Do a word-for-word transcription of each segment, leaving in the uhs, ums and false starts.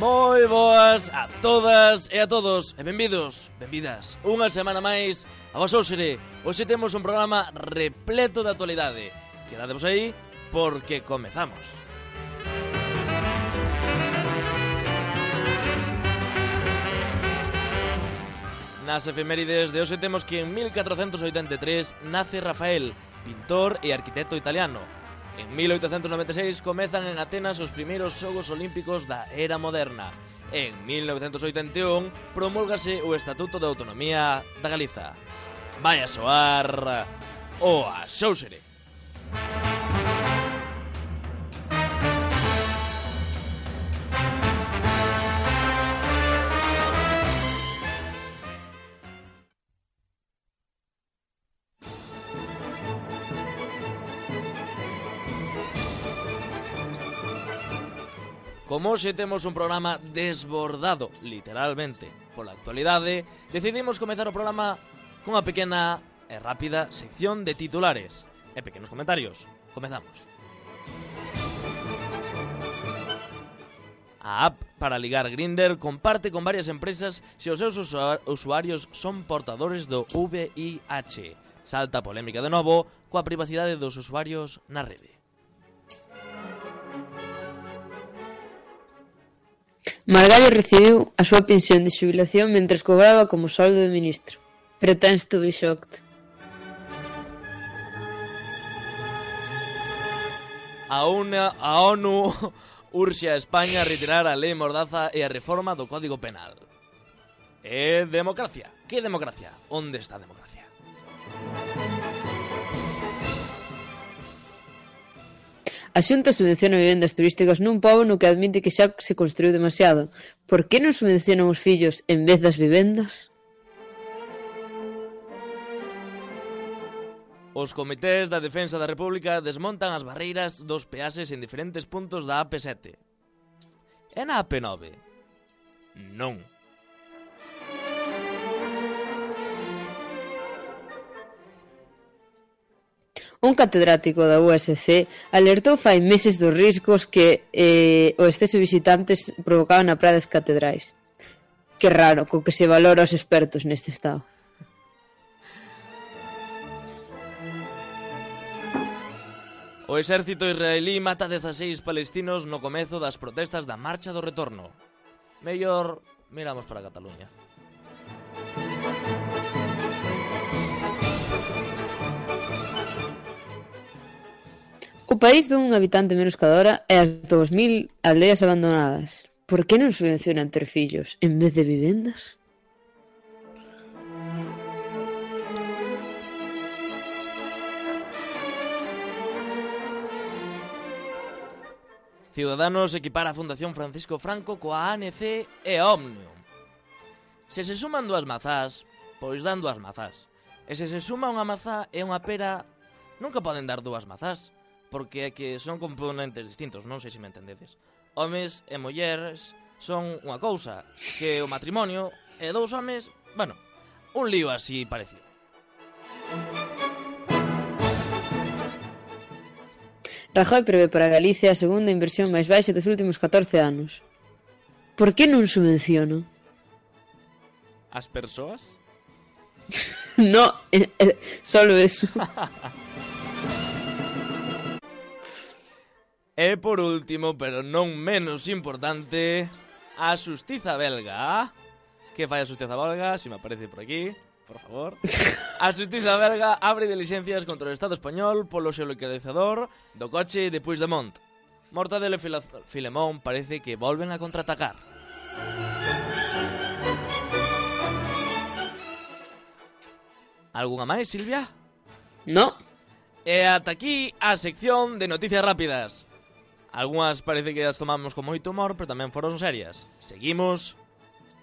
Moi boas a todas e a todos e benvidos, benvidas unha semana máis a vos Ósere. Hoxe temos un programa repleto de actualidade. Quedadevos aí porque comezamos. Nas efemérides de hoxe temos que en mil catrocentos oitenta e tres nace Rafael, pintor e arquitecto italiano. En mil oitocentos noventa e seis comezan en Atenas os primeiros Xogos Olímpicos da era moderna. En mil novecentos oitenta e un promulgase o Estatuto de Autonomía da Galiza. Vai a soar o Axóuxere. Como hoxe temos un programa desbordado, literalmente, pola actualidade, decidimos comezar o programa cunha pequena e rápida sección de titulares e pequenos comentarios. Comezamos. A app para ligar Grindr comparte con varias empresas se os seus usuarios son portadores do V I H. Salta a polémica de novo coa privacidade dos usuarios na rede. Margallo recibiu a súa pensión de xubilación mentres cobraba como soldo de ministro. Pretends to be shocked. A, una, a ONU urxe a España a retirar a lei Mordaza e a reforma do Código Penal. É democracia. Que democracia? Onde está a democracia? A Xunta subvenciona vivendas turísticas nun pobo no que admite que xa se construiu demasiado. Por que non subvencionan os fillos en vez das vivendas? Os comités da Defensa da República desmontan as barreiras dos peaxes en diferentes puntos da A P sete. E na A P nove? Non. Un catedrático da U S C alertou fai meses dos riscos que eh, o exceso de visitantes provocaba na praia das catedrais. Que raro, co que se valora os expertos neste estado. O exército israelí mata dezaseis palestinos no comezo das protestas da Marcha do Retorno. Mellor miramos para Cataluña. O país dun habitante menos cada hora e as dous mil aldeas abandonadas. Por que non subvencionan ter fillos en vez de vivendas? Ciudadanos equipara a Fundación Francisco Franco coa A N C e Omnium. Se se suman dúas mazás, pois dan dúas mazás. E se se suma unha mazá e unha pera, nunca poden dar dúas mazás, porque é que son componentes distintos, non sei se me entendedes. Homes e mulleres son unha cousa, que o matrimonio e dous homes, bueno, un lío así parecido. Rajoy prevé para Galicia a segunda inversión máis baixa dos últimos catorce anos. Por que non subvencionan? As persoas? No, eh, eh, solo eso. E por último, pero non menos importante, a xustiza belga. Que fai a xustiza belga? Se me aparece por aquí, por favor. A xustiza belga abre dilixencias contra o Estado español polo xeolocalizador do coche de Puigdemont. Mortadelo e Filemón parece que volven a contraatacar. Algunha máis, Silvia? No. E ata aquí a sección de noticias rápidas. Algúas parece que as tomamos con moito humor, pero tamén foron serias. Seguimos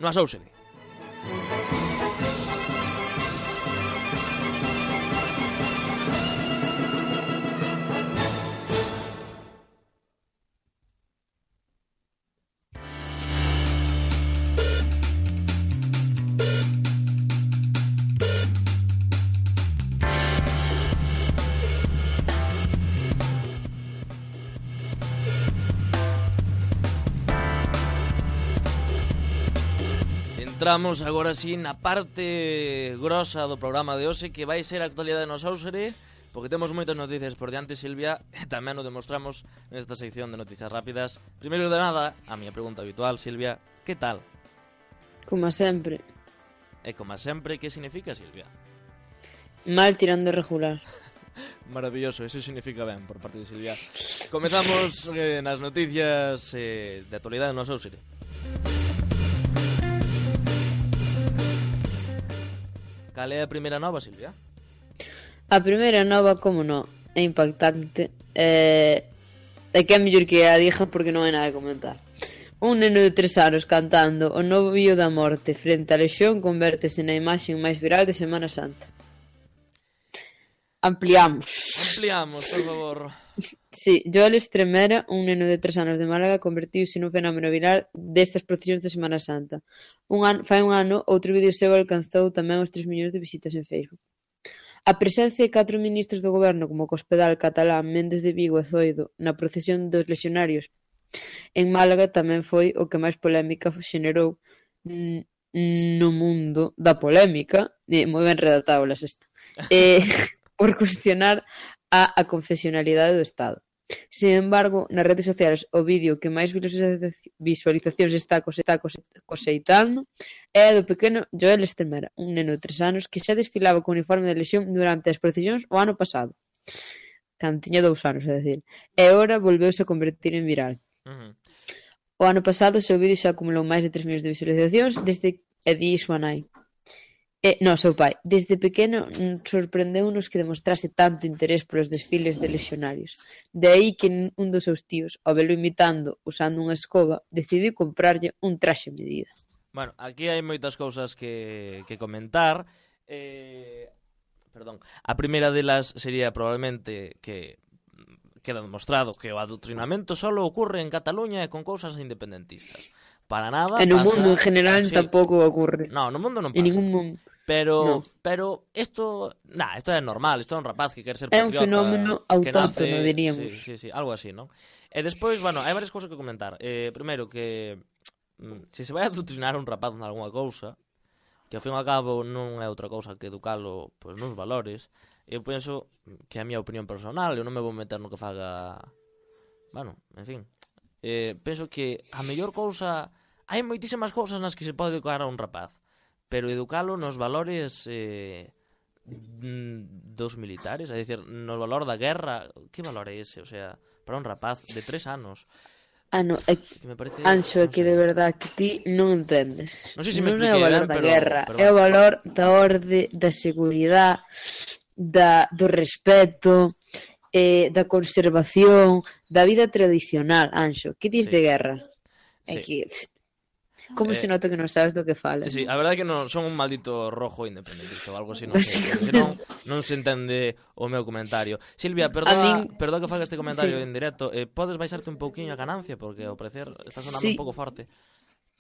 no Axóuxere. Entramos agora sí na parte grosa do programa de hoxe, que vai ser a actualidade no Sáusere, porque temos moitas noticias por diante, Silvia, e tamén o demostramos nesta sección de noticias rápidas. Primeiro de nada, a miña pregunta habitual, Silvia, que tal? Como sempre. E como sempre, que significa, Silvia? Mal tirando regular. Maravilloso, eso significa ben por parte de Silvia. Comezamos eh, nas noticias eh, de actualidade no Sáusere. Cal é a primeira nova, Silvia? A primeira nova, como non, é impactante. É, é que é mellor que a diga porque non hai nada a comentar. Un neno de tres anos cantando o novo vídeo da morte frente á lexión convértese na imaxe máis viral de Semana Santa. Ampliamos. Ampliamos, por favor. Sí, Joel Estremera, un neno de tres anos de Málaga, convertiuse nun fenómeno viral destas procesións de Semana Santa. Un ano, fai un ano, outro vídeo seu alcanzou tamén os tres millóns de visitas en Facebook. A presencia de catro ministros do goberno como o cospedal catalán Méndez de Vigo e Zoido na procesión dos lexionarios en Málaga tamén foi o que máis polémica xenerou no mundo da polémica, e moi ben redactado la sexta, eh, por cuestionar a, a confesionalidade do Estado. Sin embargo, nas redes sociais o vídeo que máis visualizacións está coseitando é do pequeno Joel Estremera, un neno de tres anos que xa desfilaba con uniforme de lexión durante as procesións o ano pasado. Cando tiña dous anos, é dicir. E agora volveuse a convertir en viral. Uh-huh. O ano pasado o seu vídeo xa acumulou máis de tres millóns de visualizacións desde e di súa nai. E, no, seu pai. Desde pequeno sorprendeu-nos que demostrase tanto interés polos desfiles de lexionarios. De aí que un dos seus tíos, ao velo imitando usando unha escoba, decidiu comprarlle un traxe a medida. Bueno, aquí hai moitas cousas que, que comentar. Eh, perdón. A primeira delas sería probablemente que queda demostrado que o adoctrinamento solo ocurre en Cataluña e con cousas independentistas. Para nada. E no pasa... mundo en general sí. Tampouco ocurre. No, no mundo non pasa. En ningún mundo. Pero, no. pero isto, nah, isto é normal, isto é un rapaz que quer ser patriota. É un fenómeno autóctono, nace, diríamos. Sí, sí, sí, algo así, non? E despois, bueno, hai varias cousas que comentar. Eh, primeiro que mm, se se vai a adoctrinar un rapaz en algunha cousa, que ao fin e ao cabo non é outra cousa que educalo pois, nos valores, eu penso que é a miña opinión personal, eu non me vou meter no que faga... Bueno, en fin. Eh, penso que a mellor cousa... Hai moitísimas cousas nas que se pode educar a un rapaz, pero educalo nos valores eh, dos militares, é dicir, no valor da guerra, que valor é ese? O sea, para un rapaz de tres anos. Ah, no, é que, me parece, Anxo, é que de verdad que ti non entendes. Non sei se me non é o valor ben, da pero, guerra, pero é o valor da orde, da seguridade, da, do respeto, eh, da conservación, da vida tradicional, Anxo. Que dis sí. de guerra? É sí. que... Como eh, se nota que non sabes do que fala? Sí, a verdade é que non son un maldito rojo independentista ou algo así, non sei, porque non, non se entende o meu comentario. Silvia, perdona, min... perdona que faga este comentario sí. en directo, eh, podes baixarte un pouquiño a ganancia, porque ao parecer está sonando sí. un pouco forte.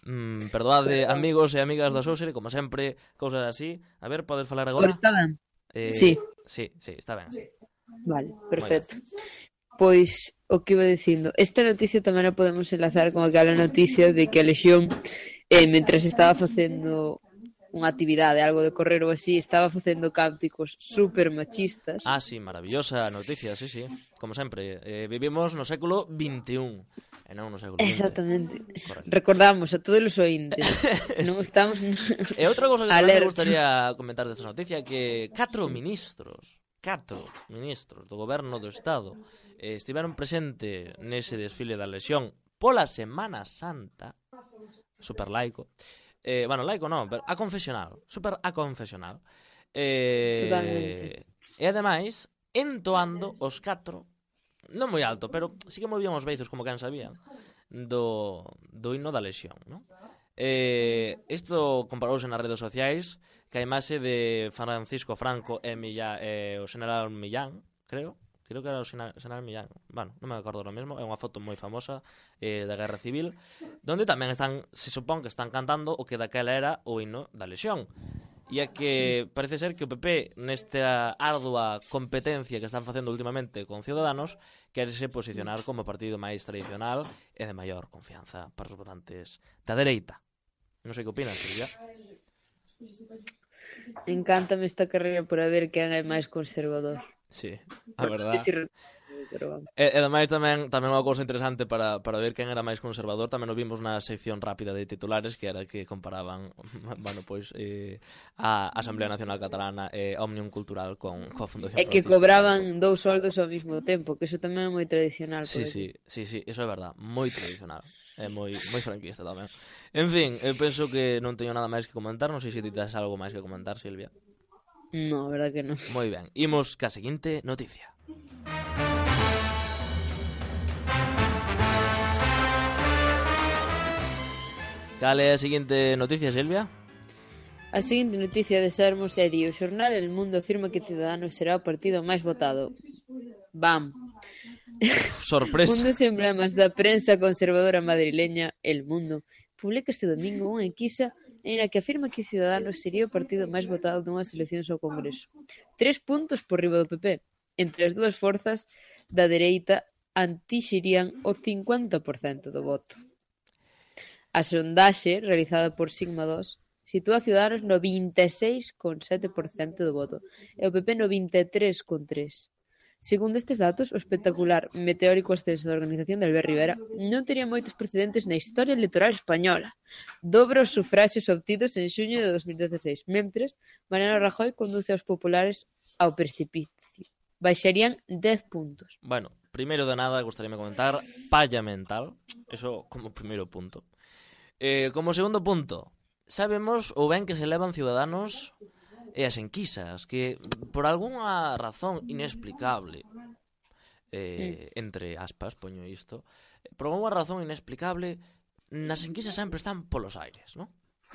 Mm, perdoade, amigos e amigas da Sáusere, como sempre, cousas así. A ver, podes falar agora? Pero está ben? Eh, sí. Sí, sí, está ben. Sí. Vale, perfecto. Pois, o que iba dicindo, esta noticia tamén a podemos enlazar con aquela noticia de que a Lexión, eh, mentras estaba facendo unha actividade, algo de correr ou así, estaba facendo cánticos super machistas. Ah, sí, maravillosa noticia, sí, sí. Como sempre, eh, vivimos no século veintiún, e non no século vinte. Exactamente. Correcto. Recordamos a todos os ointes. Non estamos... E outra cosa que me gustaría comentar desta noticia que catro sí. ministros, catro ministros do goberno do Estado eh, estiveron presentes nese desfile da Lexión pola Semana Santa, super laico, eh, bueno, laico non, pero a confesional, super a confesional, eh, e ademais entoando os catro, non moi alto, pero sí que movían os beizos como quen sabía, do, do himno da Lexión, non? Eh, isto comparouse nas redes sociais que a imaxe de Francisco Franco e, Millán, e o general Millán, creo, creo que era o general Millán, bueno, non me acordo ahora mesmo, é unha foto moi famosa eh, da Guerra Civil, donde tamén están, se supón que están cantando o que daquela era o himno da Lexión. E é que parece ser que o P P, nesta ardua competencia que están facendo últimamente con Ciudadanos, querese posicionar como partido máis tradicional e de maior confianza para os votantes da dereita. Non sei que opinas, Silvia. Encántame esta carreira por a ver quen é máis conservador. Sí, a verdad. Dicir, pero vamos. E, e ademais tamén tamén unha cousa interesante para, para ver quen era máis conservador, tamén o vimos na sección rápida de titulares, que era que comparaban, bueno, pois eh, a Asamblea Nacional Catalana e Òmnium Cultural con coa Fundación É que Francisco cobraban Franco. dous soldos ao mesmo tempo, que iso tamén é moi tradicional. Sí, por sí, aquí. sí, sí, iso é verdad, moi tradicional. É moi moi franquista tamén. En fin, eu penso que non teño nada máis que comentar, non sei se ti tes algo máis que comentar, Silvia. No, a verdad que non. Moi ben, imos ca seguinte noticia. Cal é a seguinte noticia, Silvia? A seguinte noticia de Sermos é di: o xornal El Mundo afirma que Ciudadanos será o partido máis votado. Bam. Sorpresa. Un dos emblemas da prensa conservadora madrileña, El Mundo, publica este domingo unha enquisa en a que afirma que Ciudadanos sería o partido máis votado dunhas eleccións ao Congreso. Tres puntos por riba do P P. Entre as dúas forzas da dereita antixerían o cincuenta por cento do voto. A sondaxe, realizada por Sigma dos, sitúa a Ciudadanos no vinte e seis coma sete por cento do voto e o P P no vinte e tres coma tres por cento. Segundo estes datos, o espectacular meteórico ascenso da organización de Albert Rivera non tería moitos precedentes na historia electoral española. Dobra os sufraxios obtidos en xuño de dos mil dieciséis, mentres Mariano Rajoy conduce aos populares ao precipicio. Baixarían dez puntos. Bueno, primeiro de nada, gustaríame comentar palla mental, eso como primeiro punto. Eh, como segundo punto, sabemos o ben que se levan Ciudadanos e as enquisas, que por algunha razón inexplicable, eh, entre aspas, poño isto, por algunha razón inexplicable, nas enquisas sempre están polos aires, non?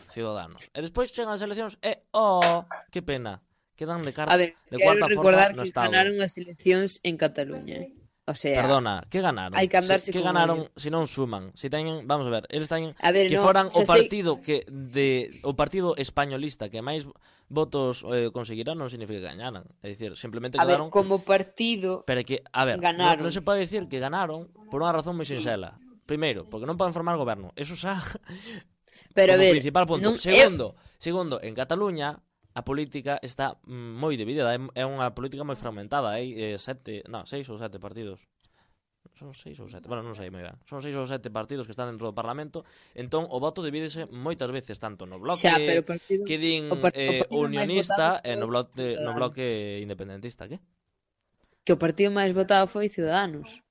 Ciudadanos. E despois chegan as eleccións e, oh, que pena, quedan de, car A ver, de quero cuarta recordar forza no que Estado. ganaron as eleccións en Cataluña. O sea, Perdona, que ganaron? hai que andarse Se, que con ganaron ollo. se non suman? Se teñen, vamos a ver, eles teñen A ver, que no, foran o xa sei- partido que de o partido españolista que máis votos eh, conseguirá non significa que gañaran. É dicir, simplemente a ver, quedaron como partido, pero é que, a ver, non, ganaron. non se pode dicir que ganaron por unha razón moi sinxela. Primeiro, porque non poden formar goberno. Eso xa pero a como ver, principal punto. non, Segundo, segundo, en Cataluña a política está mm, moi dividida, é, é unha política moi fragmentada, hai eh, sete, no, seis ou sete partidos. Son seis ou sete, bueno, non sei moi ben. Son seis ou sete partidos que están dentro do Parlamento, entón o voto divídese moitas veces tanto no bloque xa, pero o partido, que din o par- o eh, partido máis unionista votado e no foi bloque, no Ciudadanos. bloque independentista, que? que o partido máis votado foi Ciudadanos.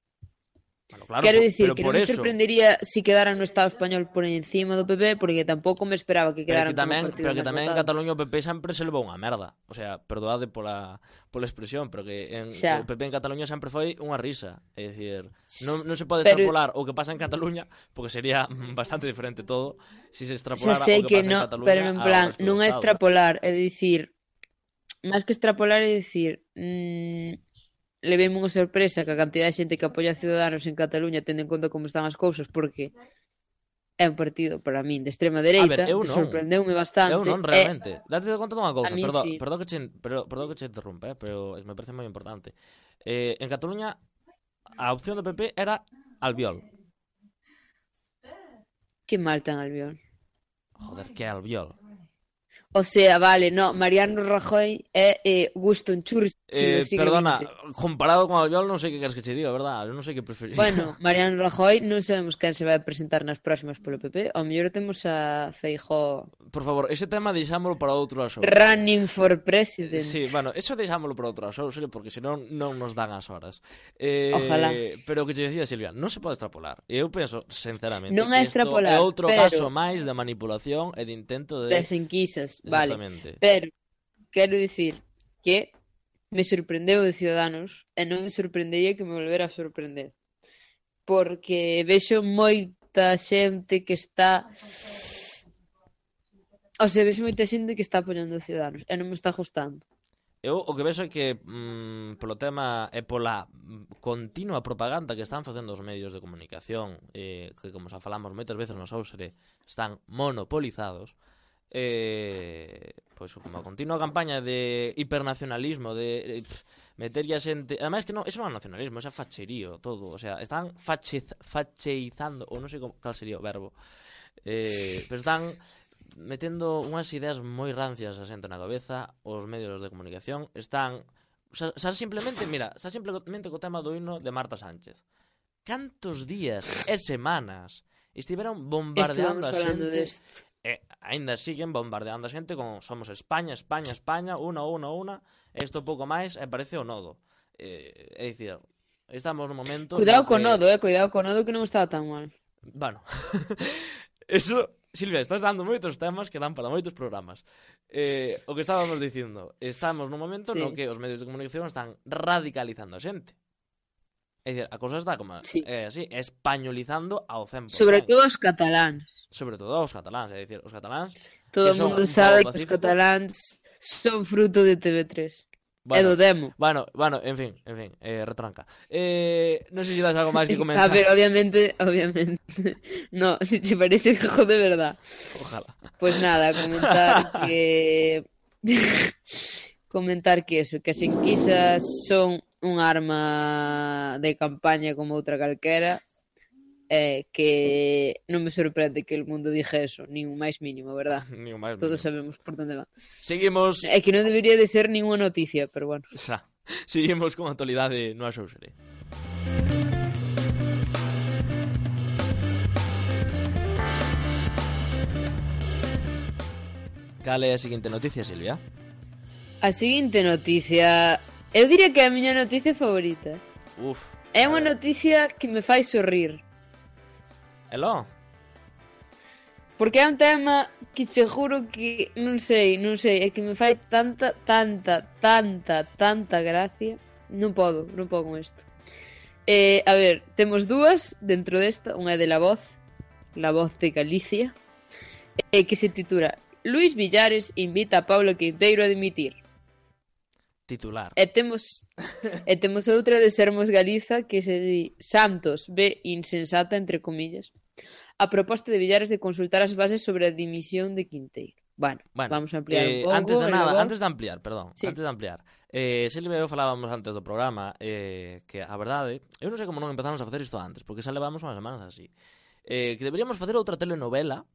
Bueno, claro, Quero por- dicir pero que por non me eso, sorprendería si quedaran no Estado español por encima do P P, porque tampouco me esperaba que pero quedaran que tamén, como partido pero que máis tamén en votado. Cataluña o P P sempre se levou unha merda. O sea, perdoade pola pola expresión, pero que en Xa. o P P en Cataluña sempre foi unha risa. É dicir, non, non se pode Pero- extrapolar o que pasa en Cataluña, porque sería bastante diferente todo si se extrapolara Xa sei o que, que pasa no, en Cataluña pero en ao plan, resto do non é Estado. extrapolar, é dicir, máis que extrapolar é dicir, mmm, levemos unha sorpresa que a cantidad de xente que apoia a Ciudadanos en Cataluña tendo en conta como están as cousas, porque é un partido para min de extrema dereita, eu te non. sorprendeume bastante. Eu non, realmente. Date conta dunha cousa, a min perdón, sí. perdón que che, pero, perdón que che interrumpe, eh, pero me parece moi importante. Eh, en Cataluña a opción do P P era Albiol. Que mal ten Albiol. Joder, que é Albiol? O sea, vale, no, Mariano Rajoy é eh, Winston Churchill Eh, do siglo perdona, vinte. comparado con Albiol non sei que queres que che diga, verdad? Eu non sei que preferir. Bueno, Mariano Rajoy non sabemos quen se vai presentar nas próximas polo P P. Ao mellor temos a Feijóo Por favor, ese tema deixámolo para outro show. running for president. Sí, bueno, eso deixámoslo para outro show, serio, porque senón non nos dan as horas. Eh, Ojalá. Pero o que te decía Silvia, non se pode extrapolar. E eu penso, sinceramente, Non que é isto extrapolar, é outro pero- caso máis de manipulación e de intento de... Das enquisas, vale. Exactamente. Pero quero dicir que me sorprendeu de Ciudadanos e non me sorprendería que me volvera a sorprender. Porque vexo moita xente que está... O sea, vexo moita xente que está apoiando a Ciudadanos e non me está gustando. Eu o que vexo é que mm, polo tema e pola mm, continua propaganda que están facendo os medios de comunicación, eh, que como xa falamos moitas veces nos Ousere, están monopolizados, eh, pois como a continua campaña de hipernacionalismo, de eh, pff, meterlle a xente, ademais que non, eso non é nacionalismo, eso é facherío todo, o sea, están fachez, facheizando, ou non sei como, cal sería o verbo, eh, pero están metendo unhas ideas moi rancias a xente na cabeza, os medios de comunicación están... Xa, xa simplemente, mira, xa simplemente co tema do himno de Marta Sánchez. Cantos días e semanas estiveron bombardeando a xente... E aínda siguen bombardeando a xente con somos España, España, España, una, una, una, isto pouco máis e parece o nodo. Eh, é dicir, estamos no momento... Cuidado no co que... nodo, eh, cuidado co nodo que non estaba tan mal. Bueno, eso, Silvia, estás dando moitos temas que dan para moitos programas. Eh, o que estábamos dicindo, estamos nun momento sí. no que os medios de comunicación están radicalizando a xente. É dicir, a cousa está como sí. é así, españolizando ao cen por cento. Sobre todo os cataláns. Sobre todo os cataláns, é dicir, os cataláns... Todo o mundo sabe que os cataláns son fruto de T V tres. Bueno, é do demo. Bueno, bueno, en fin, en fin, eh, retranca. Eh, non sei se das algo máis que comentar. A ver, obviamente, obviamente. No, si te parece hijo de verdad. Ojalá. Pues nada, comentar que... comentar que eso, que as enquisas son un arma de campaña como outra calquera, eh, que non me sorprende que el mundo dixe eso, nin o máis mínimo, verdad? Nin o máis Todos mínimo. sabemos por onde va. Seguimos... É que non debería de ser ninguna noticia, pero bueno. Xa. Seguimos con a actualidade no Axousere. Cal é a seguinte noticia, Silvia? A seguinte noticia... Eu diría que é a miña noticia favorita. Uf. É unha noticia que me fai sorrir. Eló? Porque é un tema que te juro que... Non sei, non sei. É que me fai tanta, tanta, tanta, tanta gracia. Non podo, non podo con isto. Eh, a ver, temos dúas dentro desta. Unha é de La Voz. La Voz de Galicia. Eh, que se titula Luís Villares invita a Pablo Quinteiro a dimitir. Titular. E temos e temos outra de Sermos Galiza que se di Santos ve insensata, entre comillas, a proposta de Villares de consultar as bases sobre a dimisión de Quinteiro. Bueno, bueno vamos a ampliar eh, un pouco. Antes de nada, antes de ampliar, perdón, sí. antes de ampliar. Eh, Silvia e eu falábamos antes do programa eh, que a verdade, eu non sei como non empezamos a facer isto antes, porque xa levamos unhas semanas así. Eh, que deberíamos facer outra telenovela,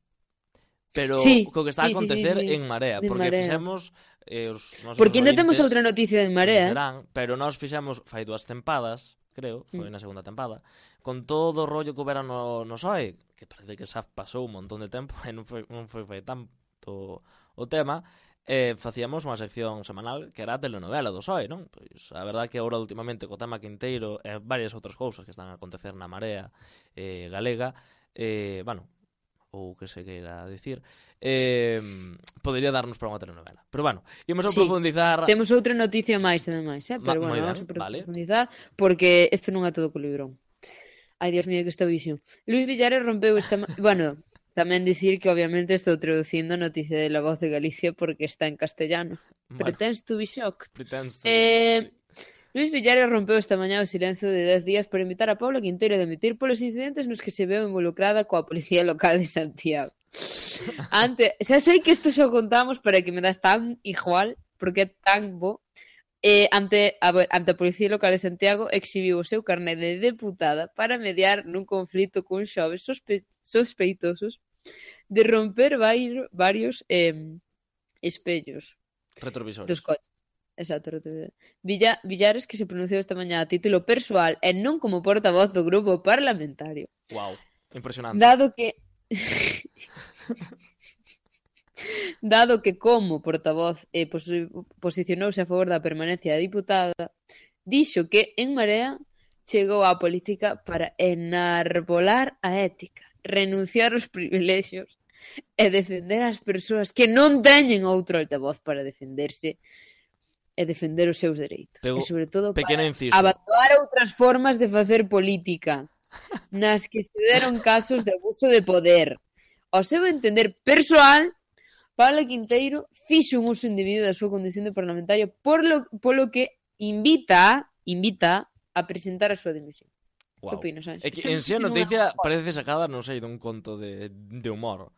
pero sí, co que está sí, a acontecer sí, sí, sí. en Marea, de porque Marea. fixemos eh, os porque ainda temos outra noticia de Marea, serán, pero nós fixemos fai dúas tempadas, creo, foi mm. na segunda tempada, con todo o rollo que houbera no, no S O E, que parece que xa pasou un montón de tempo e non foi, non foi, foi tanto o tema, eh, facíamos unha sección semanal que era a telenovela do S O E, non? Pois a verdade que agora últimamente co tema Quinteiro e varias outras cousas que están a acontecer na Marea eh, galega, eh, bueno, ou que se queira dicir, eh, podería darnos para unha telenovela. Pero bueno, ímos a sí, profundizar... Temos outra noticia máis, ademais, eh? Pero Ma, bueno, vamos ben, a profundizar, vale. Porque isto non é todo co librón. Ai, Dios mío, que esta visión. Luís Villares rompeu esta... bueno, tamén dicir que obviamente estou traducindo a noticia de La Voz de Galicia porque está en castellano. Bueno. Pretends to be shocked. Pretends to eh... Luís Villares rompeu esta mañá o silencio de dez días para invitar a Pablo Quinteiro a dimitir polos incidentes nos que se veu involucrada coa Policía Local de Santiago. Ante, xa sei que isto xo contamos para que me das tan igual, porque é tan bo. Eh, ante, a, ante a Policía Local de Santiago exhibiu o seu carné de deputada para mediar nun conflito cun xoves sospe sospeitosos de romper vai varios eh, espellos retrovisores dos coches. Exacto, Villa, Villares que se pronunciou esta mañá a título persoal e non como portavoz do grupo parlamentario. Wow, impresionante. Dado que dado que como portavoz eh, pos posicionouse a favor da permanencia da diputada, dixo que en Marea chegou á política para enarbolar a ética, renunciar aos privilexios e defender as persoas que non teñen outro altavoz para defenderse e defender os seus dereitos. Pero, e sobre todo para inciso. Abandonar outras formas de facer política nas que se deron casos de abuso de poder. Ao seu entender persoal, Pablo Quinteiro fixo un uso indebido da súa condición de parlamentario por lo, polo que invita invita a presentar a súa dimisión. Wow. Que opinas, Anxo? É que en si a noticia parece sacada, non sei, dun conto de, de humor.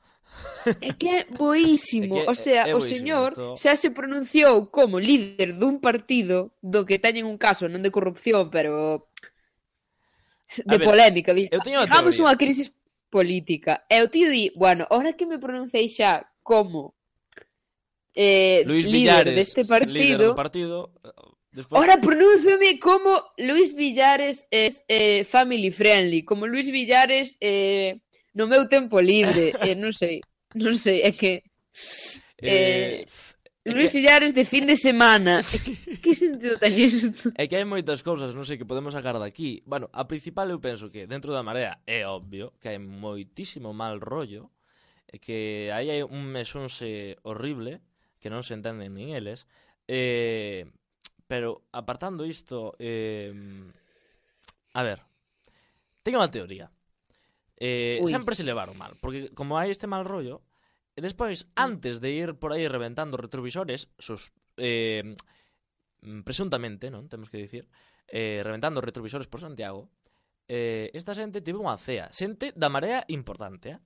É que é boísimo, é que o sea, é, é o señor esto... xa se pronunciou como líder dun partido do que teñen un caso non de corrupción, pero de ver, polémica. Digamos unha crisis política. E o tío di, bueno, ahora que me pronunciei xa como eh, Luis líder Villares, deste líder partido. do partido. Despois... Ora, pronúnciame como Luis Villares es eh, family friendly, como Luis Villares eh, no meu tempo libre, eh, non sei, non sei, é que eh, Eh, é Luis que... Villares de fin de semana. Sí. Que sentido ten isto? É que hai moitas cousas, non sei, que podemos sacar daqui. Bueno, a principal eu penso que dentro da Marea é obvio que hai moitísimo mal rollo, e que aí hai un mesonse horrible que non se entenden nin eles. Eh, pero apartando isto, eh, a ver, teño unha teoría. Eh, sempre se levaron mal, porque como hai este mal rollo, e despois, antes de ir por aí reventando retrovisores, sus, eh, presuntamente, non? Temos que dicir, eh, reventando retrovisores por Santiago, eh, esta xente tivo unha cea, xente da Marea importante, eh?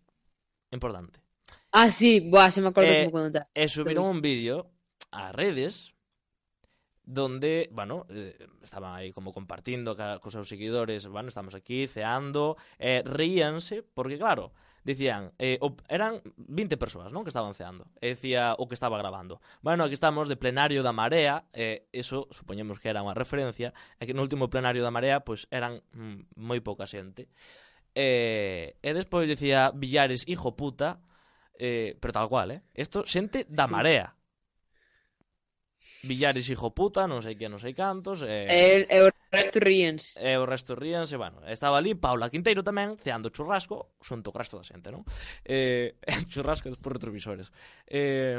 Importante. Ah, sí, boa, se me acordo eh, como contaste. E subiron un vídeo ás redes donde, bueno, eh, estaban aí como compartindo ca, cos seus seguidores, bueno, estamos aquí ceando, eh, reíanse, porque claro, dicían, eh, o, eran vinte persoas, non, que estaban ceando, e decía o que estaba grabando. Bueno, aquí estamos de plenario da Marea, eh, eso supoñemos que era unha referencia, e que no último plenario da Marea, pois, pues, eran mm, moi pouca xente. Eh, e despois dicía Villares, hijo puta, eh, pero tal cual, eh? Esto, xente da sí. Marea. Villares, hijo puta, non sei que, non sei cantos. E, e, e o resto ríense. E o resto ríense, bueno. Estaba ali Paula Quinteiro tamén, ceando churrasco, xunto o resto da xente, non? Eh, churrasco por retrovisores. Eh,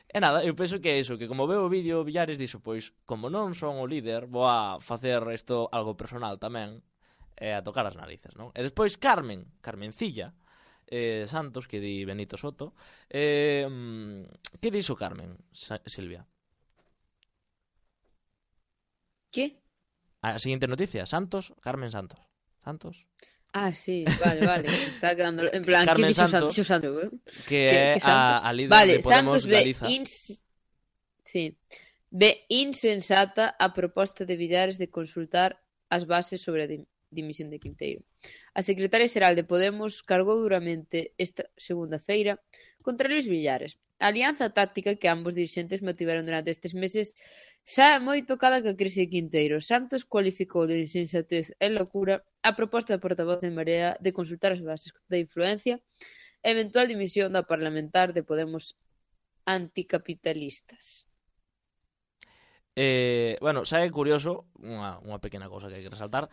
e nada, eu penso que é iso, que como veo o vídeo Villares dixo, pois, como non son o líder, vou a facer isto algo personal tamén, e a tocar as narices, non? E despois Carmen, Carmencilla, Eh, Santos, que di Benito Soto, eh, que dixo Carmen, Sa Silvia? Que? A seguinte noticia, Santos, Carmen Santos. Santos? Ah, sí, vale, vale. Está quedando en plan, Carmen que dixo Santos, Santos, Santos, eh? que é a, a líder vale, de Podemos Santos ve Galiza. Ins... Sí. Ve insensata a proposta de Villares de consultar as bases sobre a dimisión de Quinteiro. A secretaria xeral de Podemos cargou duramente esta segunda feira contra Luis Villares. A alianza táctica que ambos dirixentes mantiveron durante estes meses xa moi tocada ca crise de Quinteiro. Santos cualificou de insensatez e locura a proposta da portavoz de Marea de consultar as bases da influencia e eventual dimisión da parlamentar de Podemos anticapitalistas. Eh, bueno, xa é curioso, unha, unha pequena cousa que hai que resaltar.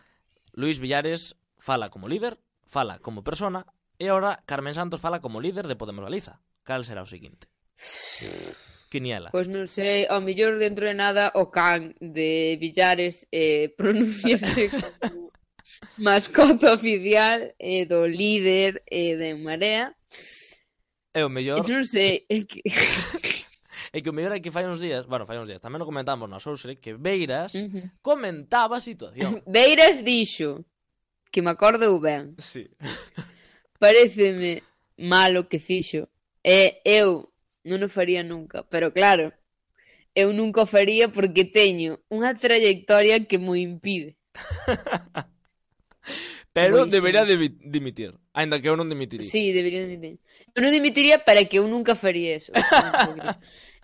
Luis Villares fala como líder, fala como persona, e agora Carmen Santos fala como líder de Podemos Galiza. Cal será o seguinte? Quiniela. Pois non sei, ao mellor dentro de nada o can de Villares eh, pronunciase como mascota oficial eh, do líder eh, de Marea. E o mellor... Non sei, é que... É que o mellor é que fai uns días, bueno, fai uns días, tamén o comentamos na Sousere, que Beiras uh -huh. comentaba a situación. Beiras dixo, que me acordo ben. Sí. Paréceme malo que fixo. E eu non o faría nunca, pero claro, eu nunca o faría porque teño unha trayectoria que mo impide. Pero Muy debería de dimitir, ainda que eu non dimitiría. Sí, debería dimitir. Eu non dimitiría para que eu nunca faría eso.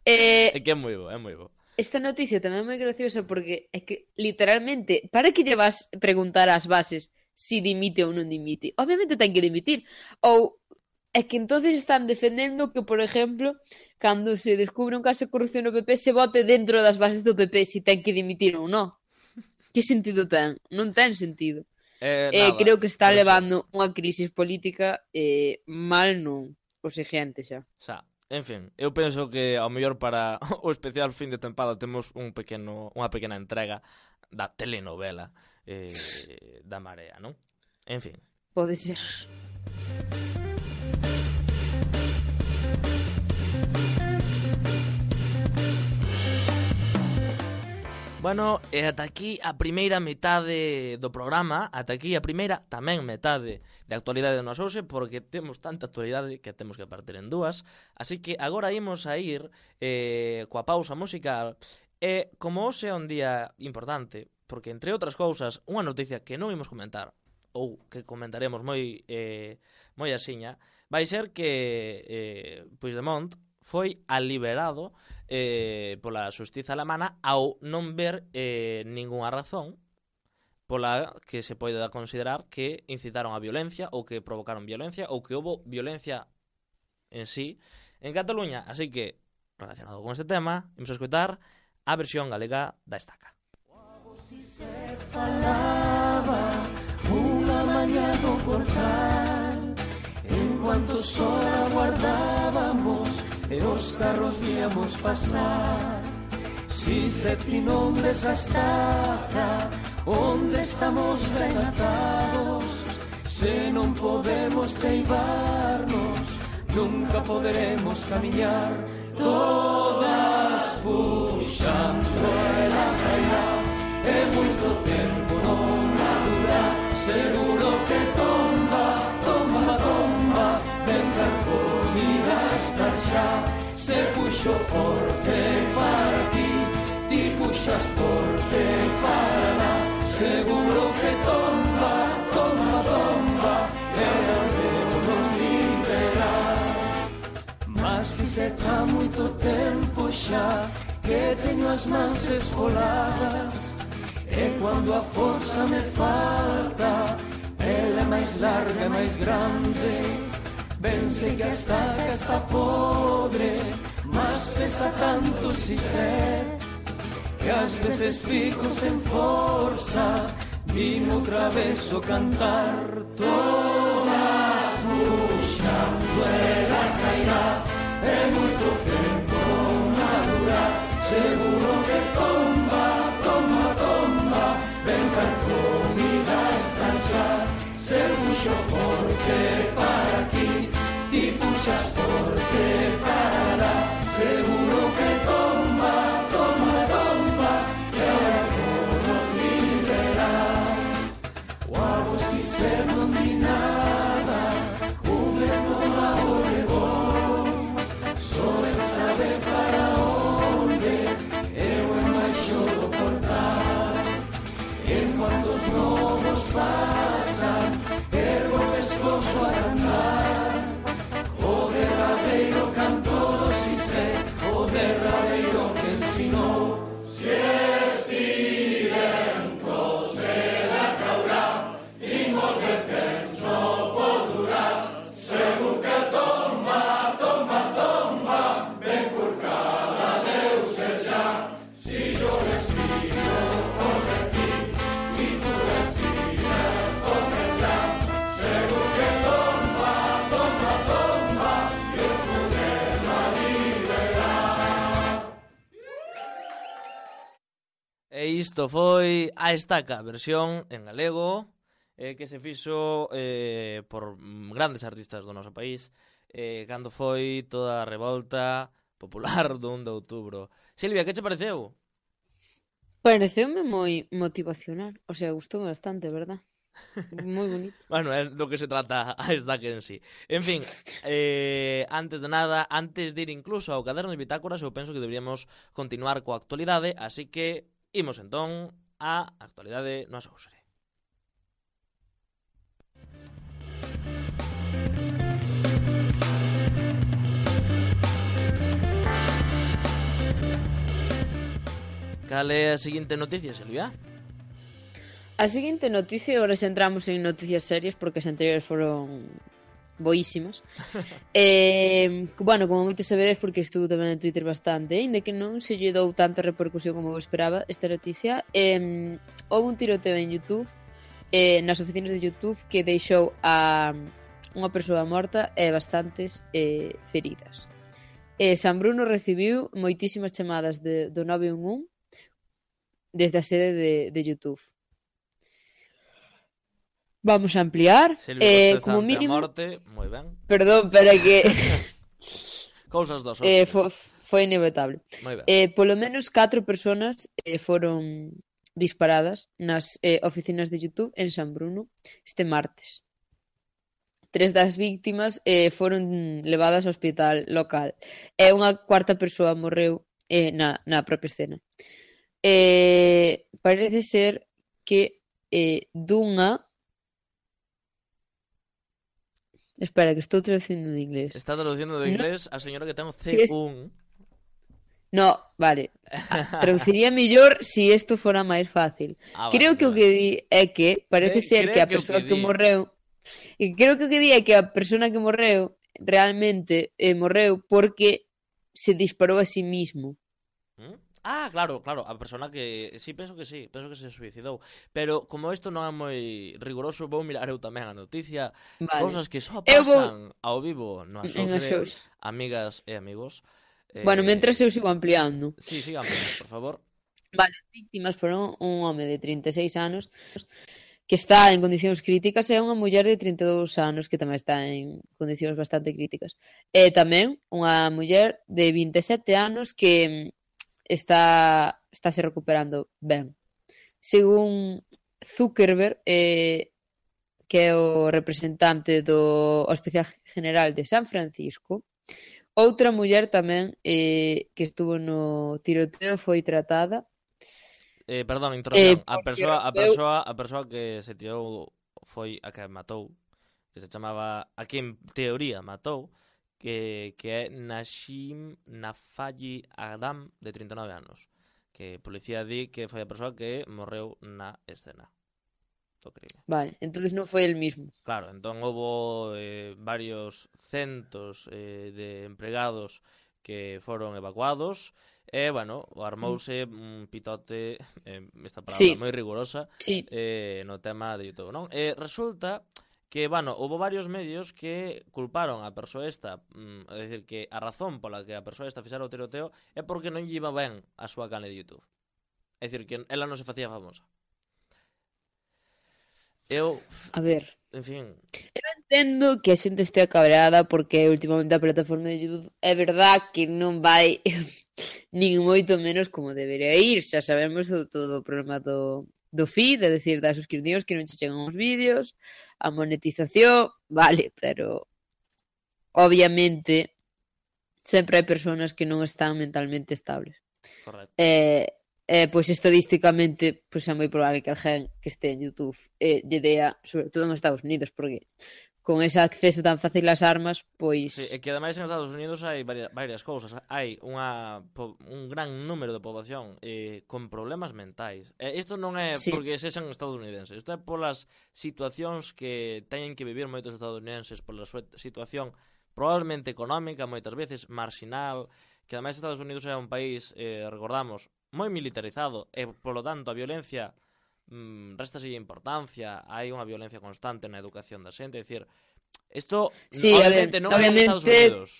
eh, é que é moi bo, é moi bo. Esta noticia tamén é moi graciosa porque é que, literalmente, para que lle vas preguntar ás bases si dimite ou non dimite? Obviamente ten que dimitir. Ou é que entonces están defendendo que, por exemplo, cando se descubre un caso de corrupción no P P, se vote dentro das bases do P P si ten que dimitir ou non. Que sentido ten? Non ten sentido. Eh, eh, nada, creo que está levando sí. unha crisis política eh, mal non, o seguinte xa. Xa, en fin, eu penso que ao mellor para o especial fin de tempada temos un pequeno, unha pequena entrega da telenovela eh, da Marea, non? En fin. Pode ser. Bueno, e ata aquí a primeira metade do programa, ata aquí a primeira tamén metade de actualidade no Souse, porque temos tanta actualidade que temos que partir en dúas, así que agora imos a ir eh, coa pausa musical, e como hoxe é un día importante, porque entre outras cousas, unha noticia que non imos comentar, ou que comentaremos moi eh, moi asiña, vai ser que eh, Puigdemont foi aliberado eh, pola xustiza alemana ao non ver eh, ningunha razón pola que se pode considerar que incitaron a violencia ou que provocaron violencia ou que houbo violencia en sí en Cataluña. Así que, relacionado con este tema, imos a escoitar a versión galega da estaca. Si se falaba unha mañá no portal, en cuanto sol aguardábamos e os carros víamos pasar. Si se ti nombres a estaca onde estamos ben atados, se non podemos teibarnos nunca poderemos camiñar. Todas puxan ruela cairá e moito tempo non a dura, seguro que tomba, tomba, tomba, ben carcomida estar xa. Se puxo forte para ti, ti puxas forte para lá, seguro que tomba, tomba, tomba, e Deus nos liberar. Mas si se tá moito tempo xa que teño as mans esfoladas, e cando a forza me falta, ela é máis larga e máis grande. Ben sei que a estaca está podre, mas pesa tanto si sé, que ás veces fico sen forza, vimo outra vez o cantar. Todas puxando ela cairá, e moito tempo na dura, seguro que tomba, tomba, tomba, ben carcomida está xa. Se puxo forte para ti, ti puxas forte para lá, seguro que tomba, tomba, tomba, e ahora todos liberar. O algo si se non di nada, un vento mau levou, só el sabe para onde, eu embaixo do portal. En cuanto os lobos pasan, ergo o pescozo a cantar, o derradeiro canto do si sé, o derradeiro que ensinou. Si estirempos se la caurá, imos de temps no pot durar, segur que tomba, tomba, tomba, ben curcada deu ser ja. Si yo respiro contra ti, y tú respiras contra ella, segur que tomba, tomba, tomba, y os podremos a liberar. E isto foi a estaca, versión en galego, eh, que se fixo eh, por grandes artistas do noso país, eh, cando foi toda a revolta popular do un de outubro. Silvia, que che pareceu? Pareceume moi motivacional, o sea, gustoume bastante, verdad? Moi bonito. Bueno, é do que se trata a estaca en sí. En fin, eh, antes de nada, antes de ir incluso ao caderno de bitácoras, eu penso que deberíamos continuar coa actualidade, así que imos entón á actualidade no Asousere. Cal é a seguinte noticia, Silvia? A seguinte noticia, agora xa entramos en noticias serias porque as anteriores foron boísimas. eh, bueno, como moitos sabedes, porque estuvo tamén en Twitter bastante, ainda que non se lle dou tanta repercusión como eu esperaba esta noticia. Eh, houve un tiroteo en YouTube, eh, nas oficinas de YouTube, que deixou a unha persoa morta e bastantes eh, feridas. Eh, San Bruno recibiu moitísimas chamadas de, do nove un un desde a sede de, de YouTube. Vamos a ampliar. Silvia, eh, bosteza como ante mínimo... a morte, moi ben. Perdón, pero é que... Cousas dos eh, outros. fo, foi inevitable. Moi ben. Eh, polo menos catro personas eh, foron disparadas nas eh, oficinas de YouTube en San Bruno este martes. Tres das víctimas eh, foron levadas ao hospital local e unha cuarta persoa morreu eh, na, na propia escena. Eh, parece ser que eh, dunha Espera, que estou traducindo de inglés. Está traducindo do No, inglés a señora que ten o si es... C uno. No, vale. Ah, traduciría mellor se si isto fora máis fácil. Ah, Creo vale, que o vale. que di é que parece Cre ser que creo a que o que persoa que di. morreu e creo que o que di é que a persona que morreu realmente eh, morreu porque se disparou a sí mismo. ¿Mm? Ah, claro, claro, a persona que... Sí, penso que sí, penso que se suicidou. Pero como isto non é moi riguroso, vou mirar eu tamén a noticia. Vale. Cousas que só Eu vou pasan ao vivo no en Axouse, Axos. amigas e amigos. Bueno, mentras Eh... eu sigo ampliando. Sí, siga ampliando, por favor. Vale, as víctimas foron un home de trinta e seis anos que está en condicións críticas e unha muller de trinta e dous anos que tamén está en condicións bastante críticas. E tamén unha muller de vinte e sete anos que está está se recuperando ben. Según Zuckerberg, eh, que é o representante do Hospital General de San Francisco, outra muller tamén eh, que estuvo no tiroteo foi tratada. Eh, perdón, Eh, interrupción. A porque persoa, a rompeu persoa, a persoa que se tirou foi a que matou, que se chamaba, a que en teoría matou, que, que é Nashim Nafaji Adam, de trinta e nove anos. Que a policía di que foi a persoa que morreu na escena do crime. Vale, entonces non foi el mismo. Claro, entón houbo eh, varios centos eh, de empregados que foron evacuados e, bueno, armouse un pitote, eh, esta palabra Sí, moi rigurosa, sí. eh, no tema de YouTube, non? E resulta que, bueno, houbo varios medios que culparon a persoa esta, mm, é dicir, que a razón pola que a persoa esta fixera o tiroteo é porque non lle iba ben a súa canle de YouTube. É dicir, que ela non se facía famosa. Eu, A ver, en fin... eu entendo que a xente estea cabreada porque últimamente a plataforma de YouTube é verdad que non vai nin moito menos como debería ir. Xa sabemos o, todo o problema do, do feed, é dicir, das suscripcións que non che chegan os vídeos, a monetización, vale, pero obviamente sempre hai persoas que non están mentalmente estables. Correcto. Eh, eh, pois estadísticamente pois é moi probable que alguén que este en YouTube eh, lle dea, sobre todo en Estados Unidos, porque con ese acceso tan fácil ás armas, pois... Sí, e que ademais en Estados Unidos hai varias, varias cousas. Hai unha, un gran número de poboación eh, con problemas mentais. E isto non é Sí. porque sexan estadounidenses. Isto é polas situacións que teñen que vivir moitos estadounidenses, pola súa situación probablemente económica, moitas veces marxinal, que ademais Estados Unidos é un país, eh, recordamos, moi militarizado e, polo tanto, a violencia mm, restase importancia, hai unha violencia constante na educación da xente, é dicir, isto Sí, obviamente a ver, non é en Estados obviamente... Unidos.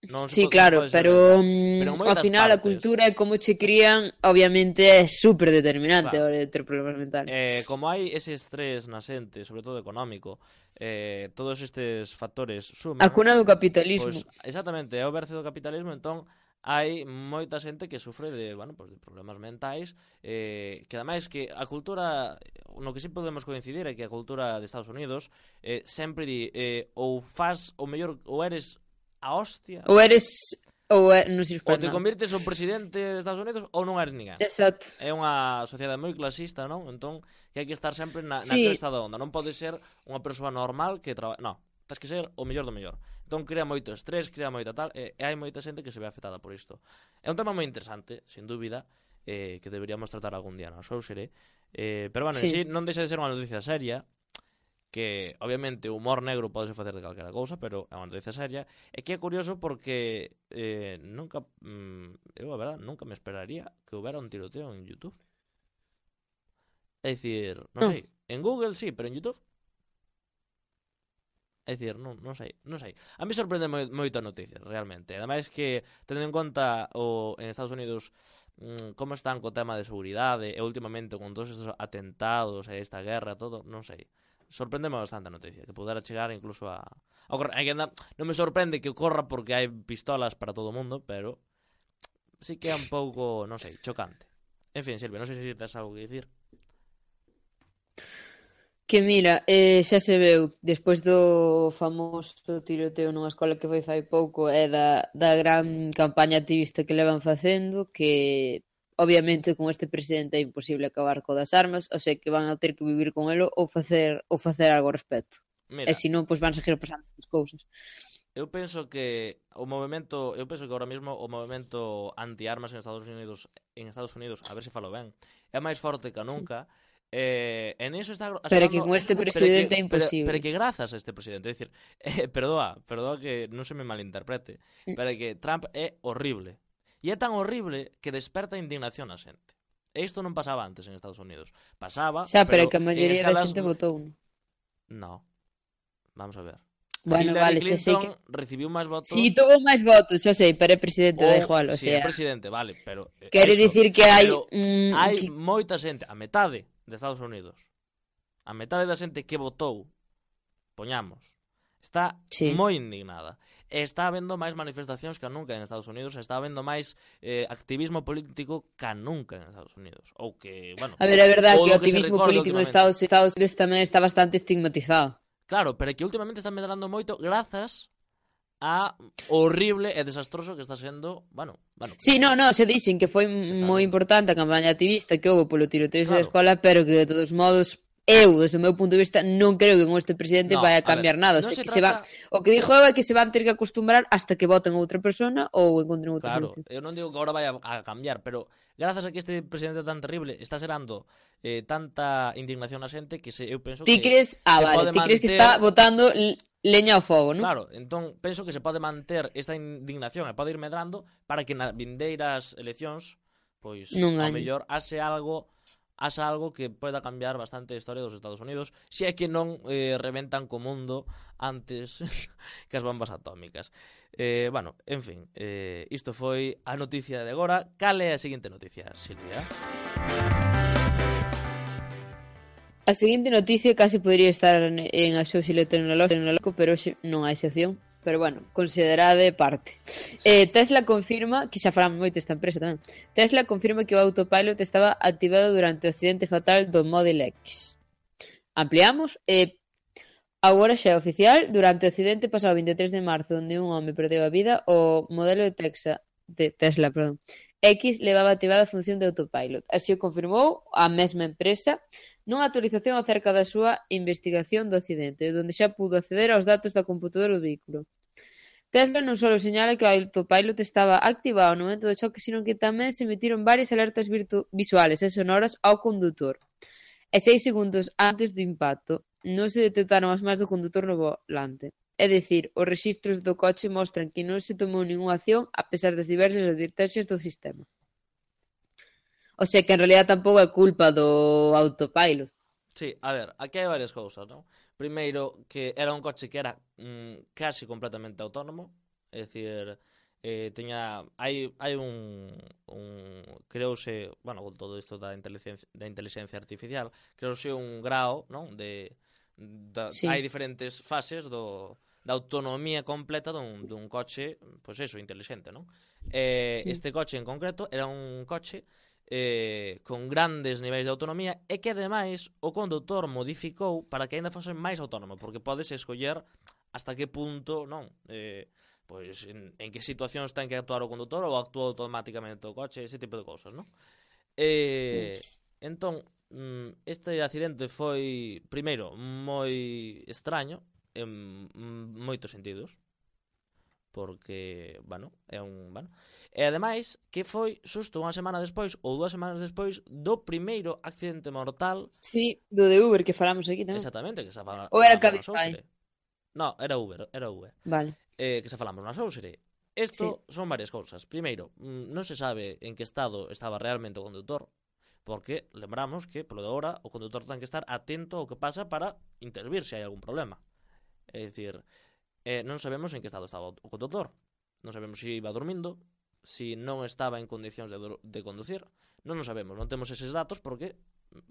Non se Sí, pode, claro, pode pero, solventar. Pero en mm, ao moitas final a partes. cultura e como che crían obviamente é super determinante a Claro. hora de ter problemas mentales. Eh, como hai ese estrés na xente, sobre todo económico, eh, todos estes factores suman. A cuna do capitalismo. Pois, exactamente, é o berce do capitalismo, entón hai moita xente que sufre de, bueno, pues de problemas mentais, eh, que ademais que a cultura, no que sí podemos coincidir é que a cultura de Estados Unidos eh, sempre di, eh, ou faz o mellor, ou eres a hostia, Ou eres... Ou é, non sirves ou para te nada. convirtes o presidente de Estados Unidos ou non eres ninguén. Exacto. É unha sociedade moi clasista, non? Entón, que hai que estar sempre na, na Sí. cresta da onda. Non pode ser unha persoa normal que traba... Non, tens que ser o mellor do mellor. Entón, crea moito estrés, crea moita tal, e, e hai moita xente que se ve afectada por isto. É un tema moi interesante, sin dúbida, eh, que deberíamos tratar algún día no Xouxere. Eh, pero, bueno, Sí. en sí, non deixa de ser unha noticia seria, que obviamente o humor negro pode facer de calquera cousa, pero é unha noticia seria, e que é curioso porque eh, nunca, mm, eu a verdad, nunca me esperaría que houbera un tiroteo en YouTube. É dicir, non No. sei, en Google sí, pero en YouTube? É dicir, non, non sei, non sei. A mí sorprende moi, moito a noticia, realmente. Ademais que, tendo en conta o, en Estados Unidos mm, como están co tema de seguridade e últimamente con todos estes atentados e esta guerra, todo, non sei. Sorprendeme bastante a noticia, que pudera chegar incluso a... a ocurrir. Hai que andar... Non me sorprende que ocorra porque hai pistolas para todo o mundo, pero sí que é un pouco, non sei, chocante. En fin, Silvia, non sei se tes algo que dicir. Que mira, eh, xa se veu, despois do famoso tiroteo nunha escola que foi fai pouco e da, da gran campaña activista que levan facendo, que obviamente con este presidente é imposible acabar co das armas, o sea que van a ter que vivir con elo ou facer ou facer algo ao respecto. Mira, E se non, pois van seguir pasando estas cousas. eu penso que o movemento, eu penso que ahora mesmo o movemento anti-armas en Estados Unidos, en Estados Unidos, a ver se falo ben, é máis forte que nunca. Eh, en eso está Pero que con este presidente é imposible. Pero, pero que grazas a este presidente, é dicir, eh, perdoa, perdoa que non se me malinterprete, Mm. pero que Trump é horrible. E é tan horrible que desperta indignación a xente. E isto non pasaba antes en Estados Unidos. Pasaba, Xa, pero pero que a maioría en da escalas... xente votou un. No. Vamos a ver. Bueno, Hillary vale, xa sei Clinton que... recibiu máis votos. Si, tuvo máis votos, xa sei, pero é presidente, da igual, o Si, é sea... presidente, vale, pero eh, Quere eso, dicir que hai... pero Mm, hai que... moita xente, a metade de Estados Unidos, a metade da xente que votou, poñamos, está Sí. moi indignada. E está habendo máis manifestacións que nunca en Estados Unidos, está habendo máis eh, activismo político que nunca en Estados Unidos. Ou que, bueno... A ver, é verdade ou que o do se activismo recorde político en últimamente. Estados, Estados Unidos tamén está bastante estigmatizado. Claro, pero é que últimamente está medrando moito grazas a horrible e desastroso que está sendo, bueno, bueno. Sí, no, no, se dixen que foi Está moi ben. importante a campaña activista que houve polo tiroteo Claro. da escola, pero que de todos modos eu, desde o meu punto de vista, non creo que con este presidente No, vai a a cambiar ver, nada, o non sea, se que se va, trata- o que dixo eu é que se van ter que acostumbrar hasta que voten outra persona ou encontren outra Claro, solución. eu non digo que agora vai a, a cambiar, pero grazas a que este presidente tan terrible está xerando eh, tanta indignación na xente que se, eu penso Ti que crees, ah, se vale, pode ti crees que manter- está botando l- leña ao fogo, non? Claro, entón penso que se pode manter esta indignación e pode ir medrando para que nas vindeiras eleccións pois Non ao gañe. mellor haxe algo haxa algo que poida cambiar bastante a historia dos Estados Unidos, se é que non eh, reventan co mundo antes que as bombas atómicas. Eh, bueno, en fin, eh, isto foi a noticia de agora. Cal é a seguinte noticia, Silvia? A seguinte noticia casi podría estar en, en Axóxilo Tecnolóxico, pero hoxe non hai sección. Pero bueno, considerade parte. Eh, Tesla confirma, que xa falamos moito desta empresa tamén, Tesla confirma que o autopilot estaba activado durante o accidente fatal do Model X. Ampliamos. Eh, agora xa é oficial, durante o accidente pasado vinte e tres de marzo, onde un home perdeu a vida, o modelo de, Texa, de Tesla perdón, X levaba activada a función de autopilot. Así o confirmou a mesma empresa nunha actualización acerca da súa investigación do accidente, onde xa pudo acceder aos datos da computadora do vehículo. Tesla non só señala que o autopilot estaba activado no momento do choque, sino que tamén se emitiron varias alertas virtu- visuales e sonoras ao condutor. E seis segundos antes do impacto non se detectaron as mans do condutor no volante. É dicir, os rexistros do coche mostran que non se tomou ningunha acción a pesar das diversas advertencias do sistema. O sea que en realidad tampouco é culpa do autopilot. Sí, a ver, aquí hai varias cousas, non? Primeiro, que era un coche que era mm, casi completamente autónomo, é dicir, eh, teña hai hai un un creouse, bueno, con todo isto da inteligencia da inteligencia artificial, creouse un grao, non, de da, Sí. hai diferentes fases do da autonomía completa dun, dun coche, pois eso, inteligente, non? Eh, Sí. este coche en concreto era un coche eh, con grandes niveis de autonomía e que ademais o condutor modificou para que aínda fose máis autónomo, porque podes escoller hasta que punto, non, eh, pois en, en que situacións ten que actuar o condutor ou actúa automáticamente o coche, ese tipo de cousas, non? Eh, entón, mm, este accidente foi primeiro moi extraño en mm, moitos sentidos, porque, bueno, é un, bueno, e ademais que foi xusto unha semana despois ou dúas semanas despois do primeiro accidente mortal. Sí, do de Uber que falamos aquí tamén. Exactamente, que se fala. Ou era falamos na Cabify? Sousere. No, era Uber, era Uber. Vale. Eh, que se falamos na Sousere. Isto sí. Son varias cousas. Primeiro, mm, non se sabe en que estado estaba realmente o condutor, porque lembramos que, polo de agora, o condutor ten que estar atento ao que pasa para intervir se hai algún problema. É dicir, eh, non sabemos en que estado estaba o condutor. Non sabemos se iba dormindo, se non estaba en condicións de, de conducir. Non o sabemos, non temos eses datos porque,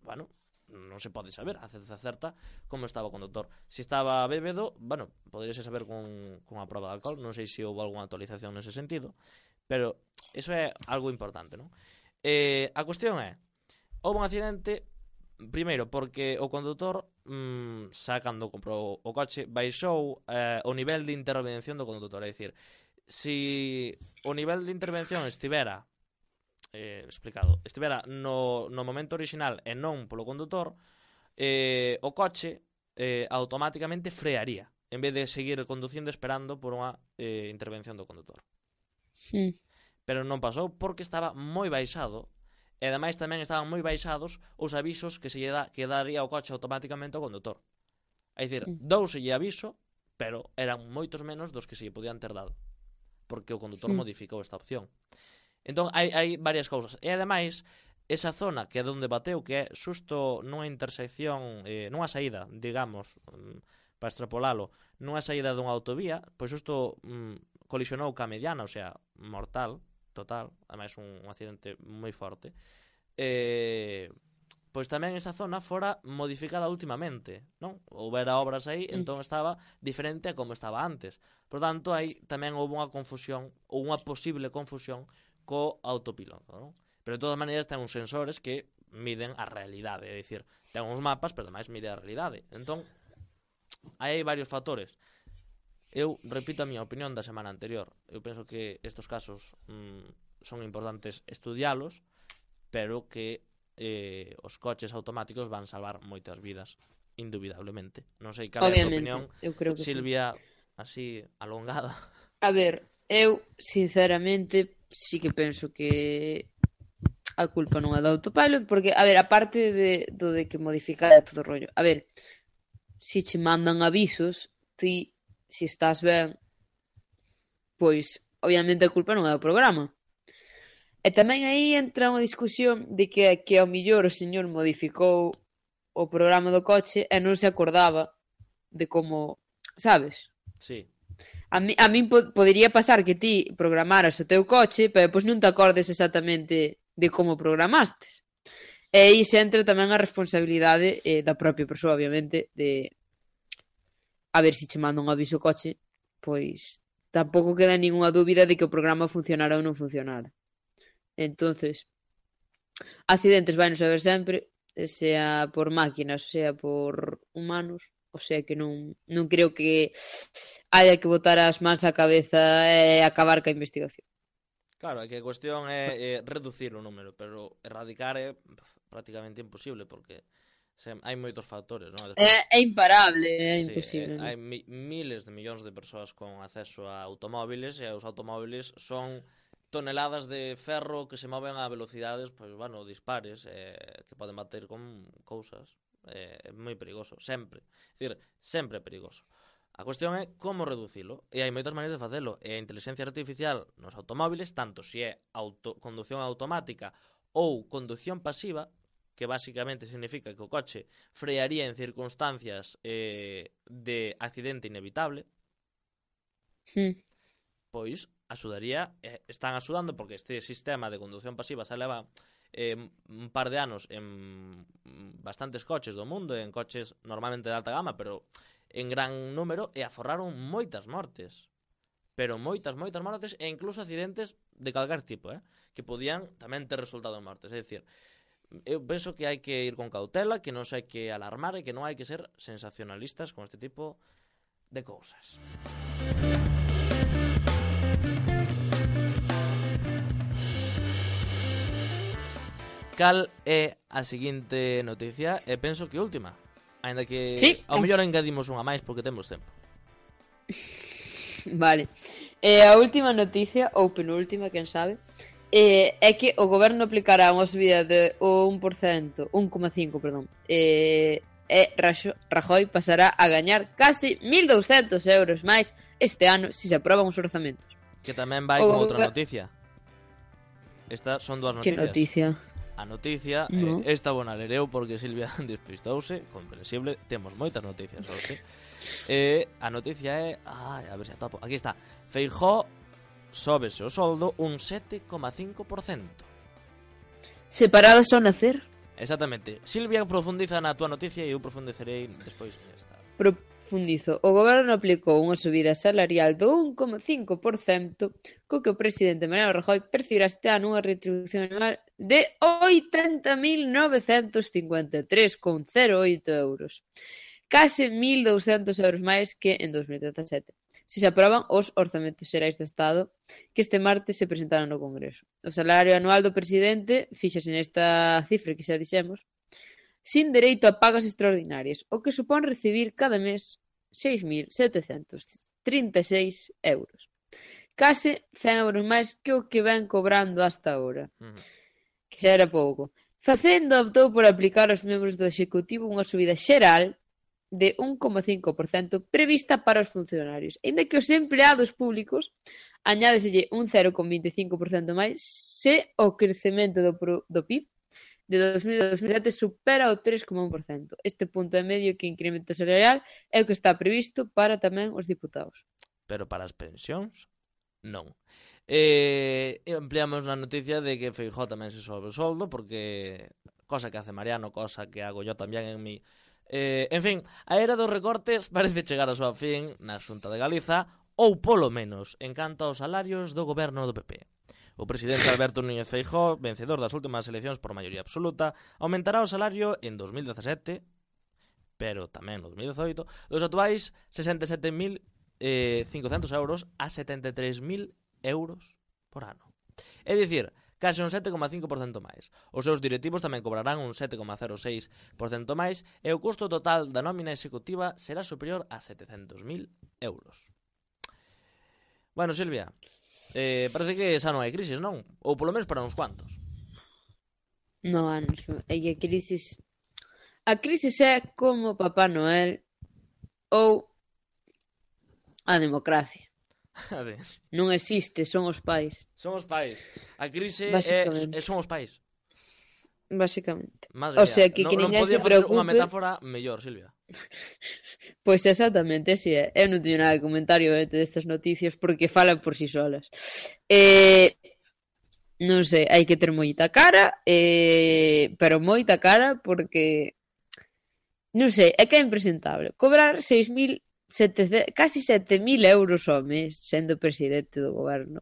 bueno, non se pode saber a ciencia certa como estaba o condutor. Se estaba bébedo, bueno, poderíase saber con, con a prova de alcohol. Non sei se houve algunha actualización nese sentido, pero iso é algo importante, non? Eh, a cuestión é, houve un accidente primeiro porque o condutor mmm, xa cando comprou o coche baixou eh, o nivel de intervención do condutor, é dicir, si o nivel de intervención estivera eh, explicado, estivera no, no momento original e non polo condutor, eh, o coche eh, automáticamente frearía, en vez de seguir conducindo esperando por unha eh, intervención do condutor. Mm. Pero non pasou porque estaba moi baixado, e ademais tamén estaban moi baixados os avisos que se lle da, que daría o coche automáticamente ao condutor. É dicir, Mm. douselle aviso, pero eran moitos menos dos que se lle podían ter dado, porque o condutor Mm. modificou esta opción. Entón, hai, hai varias cousas. E ademais, esa zona que é onde bateu, que é xusto nunha intersección, eh, nunha saída, digamos, mm, para extrapolalo, nunha saída dunha autovía, pois xusto mm, colisionou ca mediana, o sea, mortal, total, ademais un, un accidente moi forte. Eh, pois tamén esa zona fora modificada últimamente, non? Houbera obras aí, Mm. entón estaba diferente a como estaba antes. Por tanto, aí tamén houve unha confusión, ou unha posible confusión co autopiloto, non? Pero de todas maneiras ten uns sensores que miden a realidade, é dicir, ten uns mapas, pero ademais mide a realidade. Entón, aí hai varios factores. Eu repito a miña opinión da semana anterior. Eu penso que estes casos mm, son importantes estudialos, pero que eh, os coches automáticos van salvar moitas vidas, indubidablemente. Non sei cal é a tua Obviamente, opinión, eu creo que sí. Silvia, así alongada. A ver, eu, sinceramente, sí que penso que a culpa non é do autopilot, porque, a ver, aparte de, do de que modificar todo o rollo, a ver, si che mandan avisos, ti, si estás ben, pois, obviamente a culpa non é do programa. E tamén aí entra unha discusión de que, que ao millor o señor modificou o programa do coche e non se acordaba de como, sabes? Sí. A mí, a min po podería pasar que ti programaras o teu coche, pero depois non te acordes exactamente de como programastes. E aí se entra tamén a responsabilidade eh, da propia persoa, obviamente, de a ver se che manda un aviso o coche, pois tampouco queda ninguna dúbida de que o programa funcionara ou non funcionara. Entonces, accidentes vai non saber sempre, sea por máquinas, sea por humanos, o sea que non, non creo que haya que botar as mans á cabeza e acabar ca investigación. Claro, é que a cuestión é, é reducir o número, pero erradicar é prácticamente imposible, porque se, hai moitos factores, non? Despois, É, é imparable, é sí, imposible. eh, hai mi, miles de millóns de persoas con acceso a automóviles, e os automóviles son toneladas de ferro que se moven a velocidades, pois, bueno, dispares, eh, que poden bater con cousas. É eh, moi perigoso, sempre. É dicir, sempre é perigoso. A cuestión é como reducilo, e hai moitas maneiras de facelo, e a inteligencia artificial nos automóviles, tanto se é auto, conducción automática ou conducción pasiva, que basicamente significa que o coche frearía en circunstancias eh, de accidente inevitable, Hmm. pois axudaría, eh, están axudando porque este sistema de conducción pasiva se leva eh, un par de anos en bastantes coches do mundo, en coches normalmente de alta gama, pero en gran número, e aforraron moitas mortes, pero moitas, moitas mortes, e incluso accidentes de calquer tipo, eh, que podían tamén ter resultado en mortes. É dicir, eu penso que hai que ir con cautela, que non se hai que alarmar e que non hai que ser sensacionalistas con este tipo de cousas. Cal é a seguinte noticia? E penso que última, aínda que sí. ao mellor engadimos unha máis porque temos tempo. Vale. Eh, a última noticia, ou penúltima, quen sabe, eh, é que o goberno aplicará unha subida de un por cento, un coma cinco, perdón, eh, e Rajoy pasará a gañar casi mil douscentos euros máis este ano se se aproban os orzamentos. Que tamén vai o con outra go... noticia. Estas son dúas noticias. Que noticia? A noticia, no. eh, esta bona lereu porque Silvia despistouse, comprensible, temos moitas noticias hoxe. Eh, a noticia é, ai, a ver se atopo. Aquí está. Feijóo sóbese o soldo un sete coma cinco por cento. Separados ao nacer? Exactamente. Silvia profundiza na túa noticia e eu profundicerei despois. Profundizo. O goberno aplicou unha subida salarial do un coma cinco por cento, co que o presidente Mariano Rajoy percibirá este ano unha retribución anual de oitenta mil novecentos cincuenta e tres coma cero oito euros. Case mil douscentos euros máis que en dos mil dezasete. Se se aproban os orzamentos xerais do Estado que este martes se presentaron no Congreso. O salario anual do presidente, fíxase nesta cifra que xa dixemos, sin dereito a pagas extraordinarias, o que supón recibir cada mes seis mil setecentos trinta e seis euros. Case cen euros máis que o que ven cobrando hasta agora, Uh -huh. que xa era pouco. Facenda optou por aplicar aos membros do Executivo unha subida xeral de un coma cinco por cento prevista para os funcionarios, aínda que os empleados públicos añádeselle un cero coma vinte e cinco por cento máis se o crecemento do, do P I B de dos mil a dos mil sete supera o tres coma un por cento. Este punto e medio que incremento salarial é o que está previsto para tamén os diputados. Pero para as pensións, non. Eh, ampliamos na noticia de que Feijóo tamén se sobe o soldo, porque cosa que hace Mariano, cosa que hago yo tamén en mi... Eh, en fin, a era dos recortes parece chegar a súa fin na Xunta de Galiza, ou polo menos en canto aos salarios do goberno do P P. O presidente Alberto Núñez Feijóo, vencedor das últimas eleccións por maioría absoluta, aumentará o salario en dos mil dezasete, pero tamén en dos mil dezoito, dos atuais sesenta e sete mil cincocentos euros a setenta e tres mil euros por ano. É dicir, case un sete coma cinco por cento máis. Os seus directivos tamén cobrarán un sete coma cero seis por cento máis e o custo total da nómina executiva será superior a setecentos mil euros. Bueno, Silvia, eh, parece que xa non hai crisis, non? Ou polo menos para uns cuantos. No, Anxo, é que a crisis... A crisis é como Papá Noel ou a democracia. Non existe, son os pais. Son os pais. A crise é, é son os pais. Básicamente. Madre o sea, mía, que, no, que non ninguén podía se facer preocupe. unha metáfora mellor, Silvia. Pois pues exactamente, así é. Eu non teño nada de comentario obviamente destas noticias porque falan por si solas. Eh, non sei, hai que ter moita cara, eh, pero moita cara porque non sei, é que é impresentable. Cobrar seis mil setecientos, casi sete mil euros ao mes sendo presidente do goberno.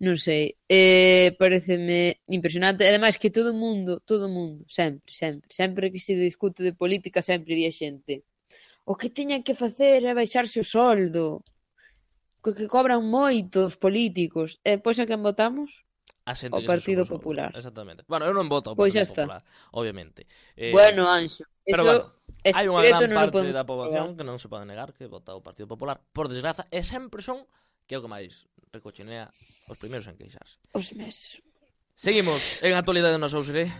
Non sei, eh, pareceme impresionante. Ademais que todo o mundo, todo o mundo, sempre, sempre, sempre que se discute de política sempre di a xente o que teñan que facer é baixarse o soldo, porque cobran moito os políticos. E pois a quen votamos? A xente o Partido Popular. Exactamente. Bueno, eu non voto ao Pois Partido Popular, obviamente. Eh, bueno, Anxo, pero eso bueno, hai unha gran non parte da poboación que non se pode negar que vota o Partido Popular, por desgraza, e sempre son, que é o que máis recochinea, os primeiros en queixarse. Os meses. Seguimos en actualidade no Sousere.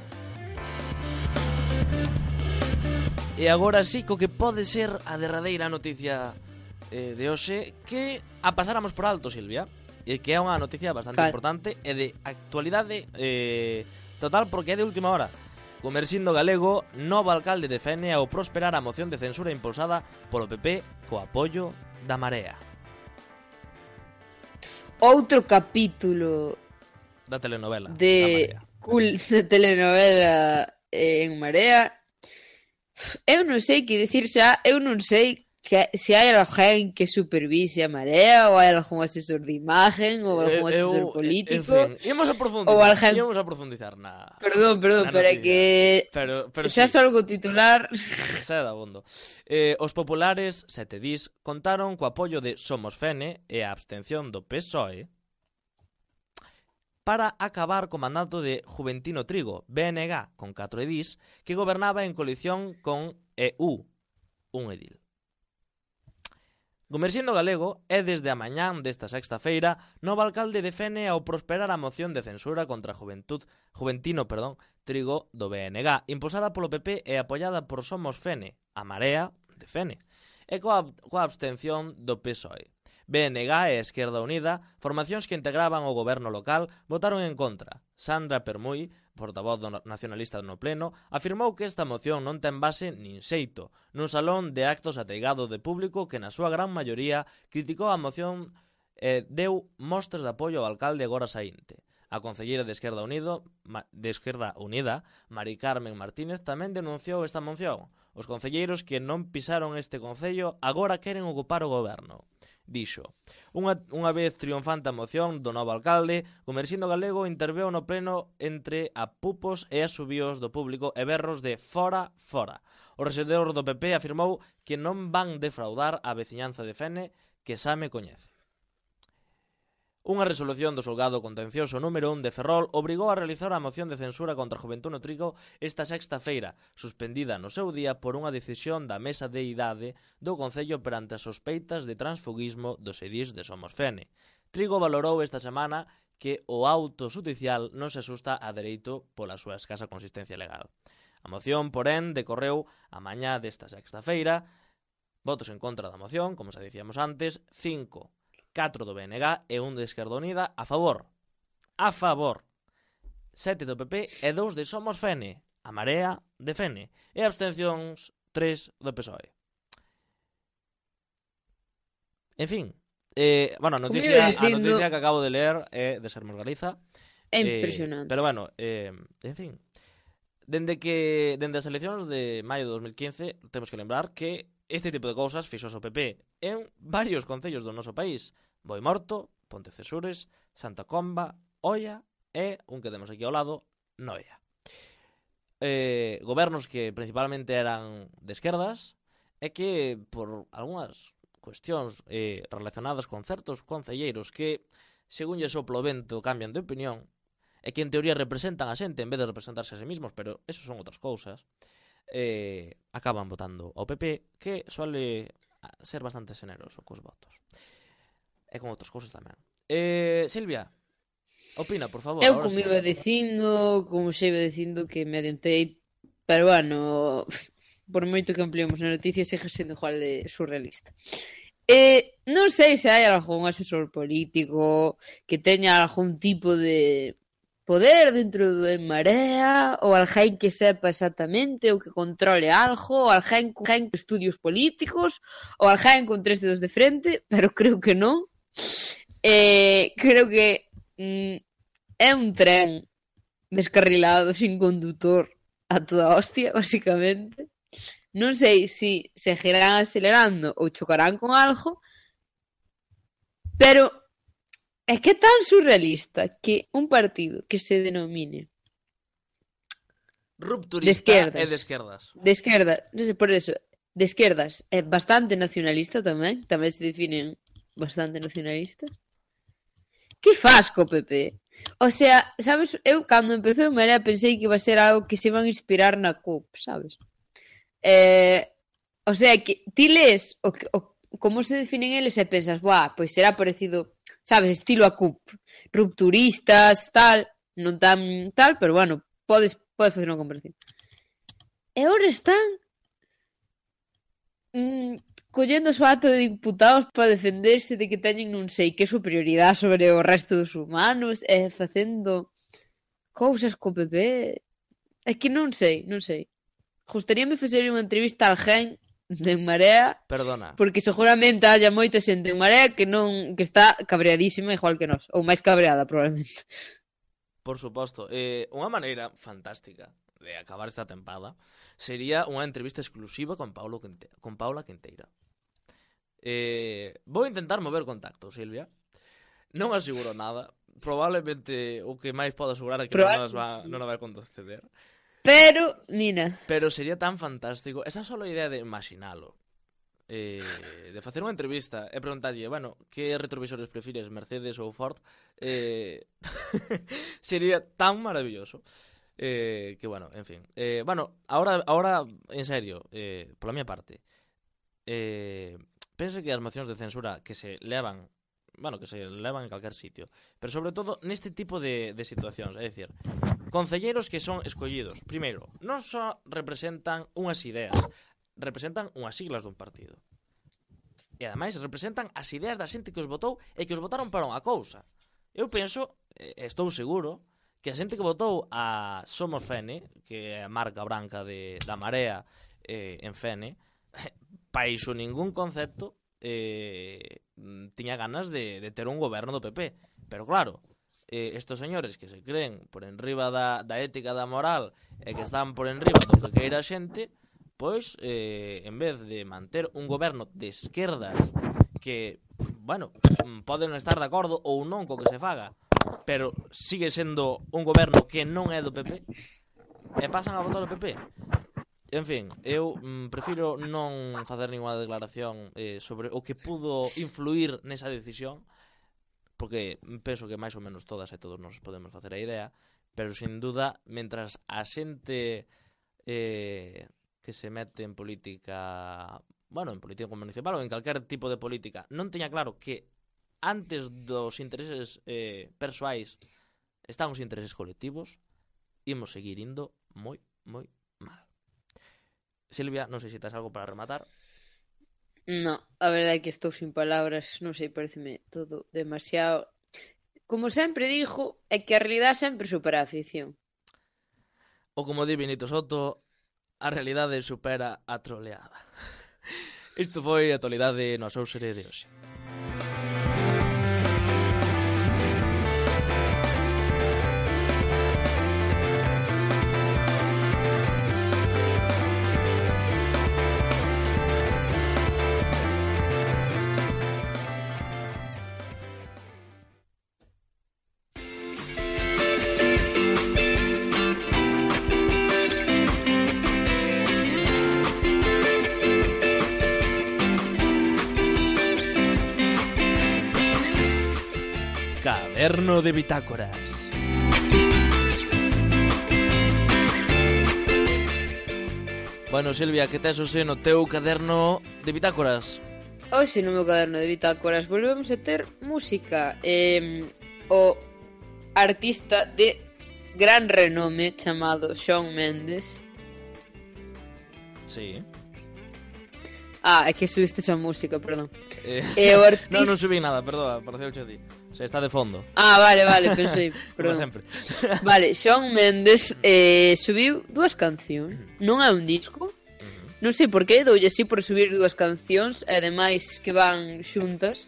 E agora sí, co que pode ser a derradeira noticia eh, de hoxe, que a pasáramos por alto, Silvia, e que é unha noticia bastante Cal. importante e de actualidade eh, total, porque é de última hora. Comercindo Galego, novo alcalde defende ao prosperar a moción de censura impulsada polo P P co apoio da Marea. Outro capítulo da telenovela de, da cool, de telenovela en Marea. Eu non sei que dicir xa, eu non sei que se hai alguén que supervise a Marea ou hai algún asesor de imagen ou algún eh, asesor eu, político. En fin, íamos a profundizar, ou alguén... íamos a profundizar na... Perdón, perdón, na pero é que pero, pero xa sí. salgo titular. Xa é dabondo. Eh, os populares, sete dis, contaron co apoio de Somos Fene e a abstención do P S O E para acabar co mandato de Juventino Trigo, B N G, con catro edís, que gobernaba en coalición con E U, un edil. Comercindo Galego é desde a mañán desta sexta feira novo alcalde defende ao prosperar a moción de censura contra Juventud, Juventino perdón, Trigo do B N G, impulsada polo P P e apoiada por Somos Fene, a Marea de Fene, e coa, coa abstención do P S O E. B N G e Esquerda Unida, formacións que integraban o goberno local, votaron en contra. Sandra Permuy, portavoz do nacionalista no pleno, afirmou que esta moción non ten base nin xeito nun salón de actos ateigado de público que na súa gran maioría criticou a moción e deu mostras de apoio ao alcalde agora saínte. A concelleira de Esquerda Unido, de Esquerda Unida, Mari Carmen Martínez, tamén denunciou esta moción. Os concelleiros que non pisaron este concello agora queren ocupar o goberno. Dixo, unha, unha vez triunfante a moción do novo alcalde, Comercindo Galego interveu no pleno entre apupos e asubíos do público e berros de fora, fora. O rexedor do P P afirmou que non van defraudar a veciñanza de Fene que xa me coñece. Unha resolución do xulgado contencioso número un de Ferrol obrigou a realizar a moción de censura contra Juventude Trigo esta sexta feira, suspendida no seu día por unha decisión da Mesa de Idade do Concello perante as sospeitas de transfugismo dos edís de Somos Fene. Trigo valorou esta semana que o auto xudicial non se asusta a dereito pola súa escasa consistencia legal. A moción, porén, decorreu a mañá desta sexta feira. Votos en contra da moción, como xa dicíamos antes, cinco. catro do B N G e un de Esquerda Unida a favor. A favor. sete do P P e dous de Somos Fene. A Marea de Fene. E abstencións tres do P S O E. En fin. Eh, bueno, a noticia, dicindo... a noticia que acabo de ler é de Sermos Galiza. É impresionante. Eh, pero bueno, eh, en fin. Dende que dende as eleccións de maio de dos mil quince temos que lembrar que este tipo de cousas fixos o P P en varios concellos do noso país. Boimorto, Pontecesures, Santa Comba, Oia e, un que temos aquí ao lado, Noia. Eh, gobernos que principalmente eran de esquerdas e que, por algunhas cuestións eh, relacionadas con certos concelleiros que, según lle soplo o vento, cambian de opinión e que en teoría representan a xente en vez de representarse a sí mismos, pero eso son outras cousas, eh, acaban votando ao P P, que suele ser bastante xeneroso cos votos. E con outras cousas tamén. Eh, Silvia, opina, por favor. Eu como iba dicindo, como xa iba dicindo que me adiantei, pero bueno, por moito que ampliamos na noticia, sigue sendo igual de surrealista. Eh, non sei se hai algún asesor político que teña algún tipo de poder dentro do En Marea, ou alguén que sepa exactamente ou que controle algo, ou alguén con estudios políticos, ou alguén con tres dedos de frente, pero creo que non. Eh, creo que mm, é un tren descarrilado sin condutor a toda hostia, basicamente. Non sei se seguirán acelerando ou chocarán con algo, pero é que é tan surrealista que un partido que se denomine rupturista de esquerdas, e de esquerdas. De esquerda, non sei por eso, de esquerdas é bastante nacionalista tamén, tamén se definen bastante nacionalistas. Que faz co P P? O sea, sabes, eu cando empezou en Marea pensei que iba a ser algo que se iban a inspirar na C U P, sabes? Eh, o sea, que ti lees o, o, como se definen eles e pensas, buah, pois será parecido, sabes, estilo a C U P, rupturistas, tal, non tan tal, pero bueno, podes, podes facer unha comparación. E agora están mm, collendo o seu acto de diputados para defenderse de que teñen non sei que superioridade sobre o resto dos humanos e facendo cousas co P P. É que non sei, non sei. Gustaríame facer unha entrevista a alguén de Marea. Perdona. Porque seguramente haya moita xente en Marea que non que está cabreadísima igual que nós, ou máis cabreada probablemente. Por suposto, eh, unha maneira fantástica de acabar esta tempada sería unha entrevista exclusiva con Paulo Quinte- con Paula Quinteira. Eh, vou intentar mover contacto, Silvia. Non aseguro nada. Probablemente o que máis podo asegurar é que non nos va, non nos vai conceder. Pero, Nina. Pero sería tan fantástico. Esa só a idea de imaginalo. Eh, de facer unha entrevista e preguntarlle, bueno, que retrovisores prefires, Mercedes ou Ford? Eh, sería tan maravilloso. Eh, que bueno, en fin. Eh, bueno, ahora, ahora en serio, eh, pola miña parte, eh, penso que as mocións de censura que se levan, bueno, que se levan en calquer sitio, pero sobre todo neste tipo de, de situacións, é dicir, concelleiros que son escollidos, primeiro, non só representan unhas ideas, representan unhas siglas dun partido. E ademais representan as ideas da xente que os votou e que os votaron para unha cousa. Eu penso, estou seguro, que a xente que votou a Somos Fene, que é a marca branca de, da Marea eh, en Fene, pa iso ningún concepto eh, tiña ganas de, de ter un goberno do P P. Pero claro, eh, estos señores que se creen por enriba da, da ética da moral e que están por enriba do que queira a xente, pois, eh, en vez de manter un goberno de esquerdas que, bueno, poden estar de acordo ou non co que se faga, pero sigue sendo un goberno que non é do P P, e pasan a votar o P P. En fin, eu mm, prefiro non facer ninguna declaración eh, sobre o que pudo influir nesa decisión, porque penso que máis ou menos todas e todos nos podemos facer a idea, pero sin duda, mentras a xente eh, que se mete en política, bueno, en política municipal ou en calquer tipo de política, non teña claro que antes dos intereses eh, persoais están os intereses colectivos, imos seguir indo moi, moi mal. Silvia, non sei se tes algo para rematar. No, a verdade é que estou sin palabras, non sei, pareceme todo demasiado... Como sempre digo, é que a realidade sempre supera a ficción. Ou como di Benito Soto, a realidade supera a troleada. Isto foi a actualidade no Asóusere de hoxe. Caderno de bitácoras. Bueno, Silvia, que tes hoxe no teu caderno de bitácoras? Hoxe no meu caderno de bitácoras volvemos a ter música. Eh, o artista de gran renome chamado Shawn Mendes. Sí. Ah, é que subiste esa música, perdón. Eh, E o artista... non, non subí nada, perdoa, pareceu a ti. O sea, está de fondo. Ah, vale, vale, pensei, Como perdón. sempre. Vale, Shawn Mendes eh, subiu dúas cancións. Non é un disco. Non sei por qué, doulle así por subir dúas cancións, e ademais que van xuntas.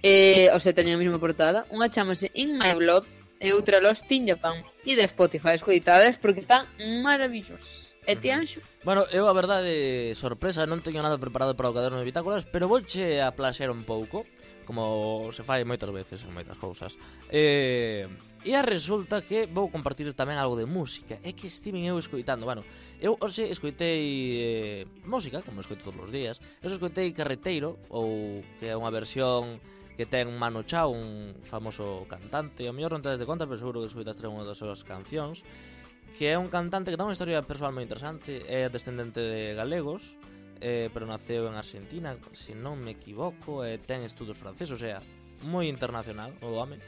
Eh, o sea, teñen a mesma portada. Unha chamase In My Blood e outra Lost in Japan. E de Spotify, escoitades, porque están maravillosos. E ti, Anxo? Bueno, eu a verdade, sorpresa, non teño nada preparado para o caderno de bitácoras, pero vouche a plaxer un pouco, como se fai moitas veces en moitas cousas. Eh, e a resulta que vou compartir tamén algo de música. É que estiven eu escoitando, bueno, eu hoxe escoitei eh, música, como escoito todos os días. Eu escoitei Carreteiro, ou que é unha versión que ten Manu Chao, un famoso cantante. O mellor non tedes de conta, pero seguro que escoitaste unha das súas cancións, que é un cantante que ten unha historia persoal moi interesante. É descendente de galegos, eh, pero naceu en Argentina, se non me equivoco, e ten estudos franceses, o sea, moi internacional o home.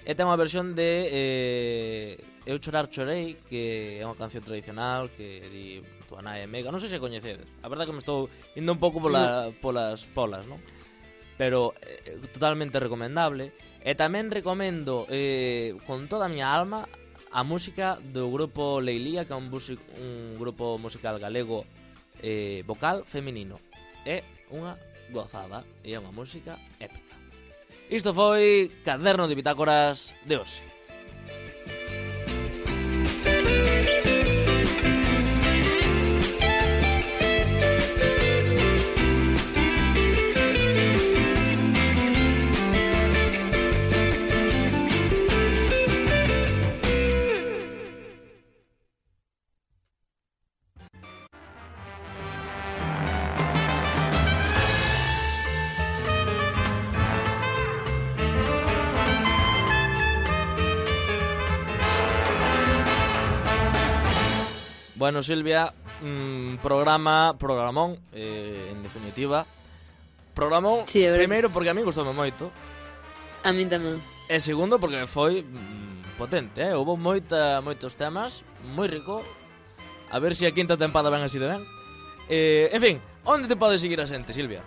E ten unha versión de eh, Eu chorar chorei, que é unha canción tradicional que di Tua nai é mega, non sei se coñecedes. A verdade que me estou indo un pouco pola, polas polas, non? Pero eh, totalmente recomendable. E tamén recomendo eh, con toda a miña alma a música do grupo Leilía, que é un, music, un grupo musical galego eh, vocal feminino. É unha gozada e é unha música épica. Isto foi Caderno de Bitácoras de hoxe. Bueno, Silvia, mmm, programa, programón, eh, en definitiva. Programón, sí, primeiro porque a mí gustoume moito. A mí tamén. E segundo porque foi mmm, potente, eh? Houve moita, moitos temas, moi rico. A ver se a quinta tempada ven así de ben. Eh, en fin, onde te pode seguir a xente, Silvia?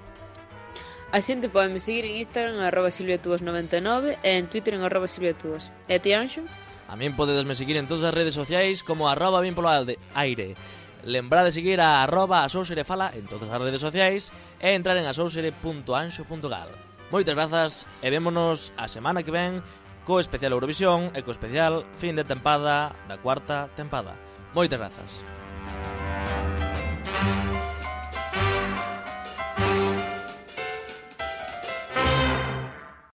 A xente pode me seguir en Instagram en arroba silviatuas noventa e nove e en Twitter en arroba silviatuas. E ti, Anxo? A min podedesme seguir en todas as redes sociais como arroba bien polo aire. Lembrad de seguir a arroba asouserefala en todas as redes sociais e entrar en asousere punto anxo punto gal. Moitas grazas e vémonos a semana que ven co especial Eurovisión e co especial fin de tempada da cuarta tempada. Moitas grazas.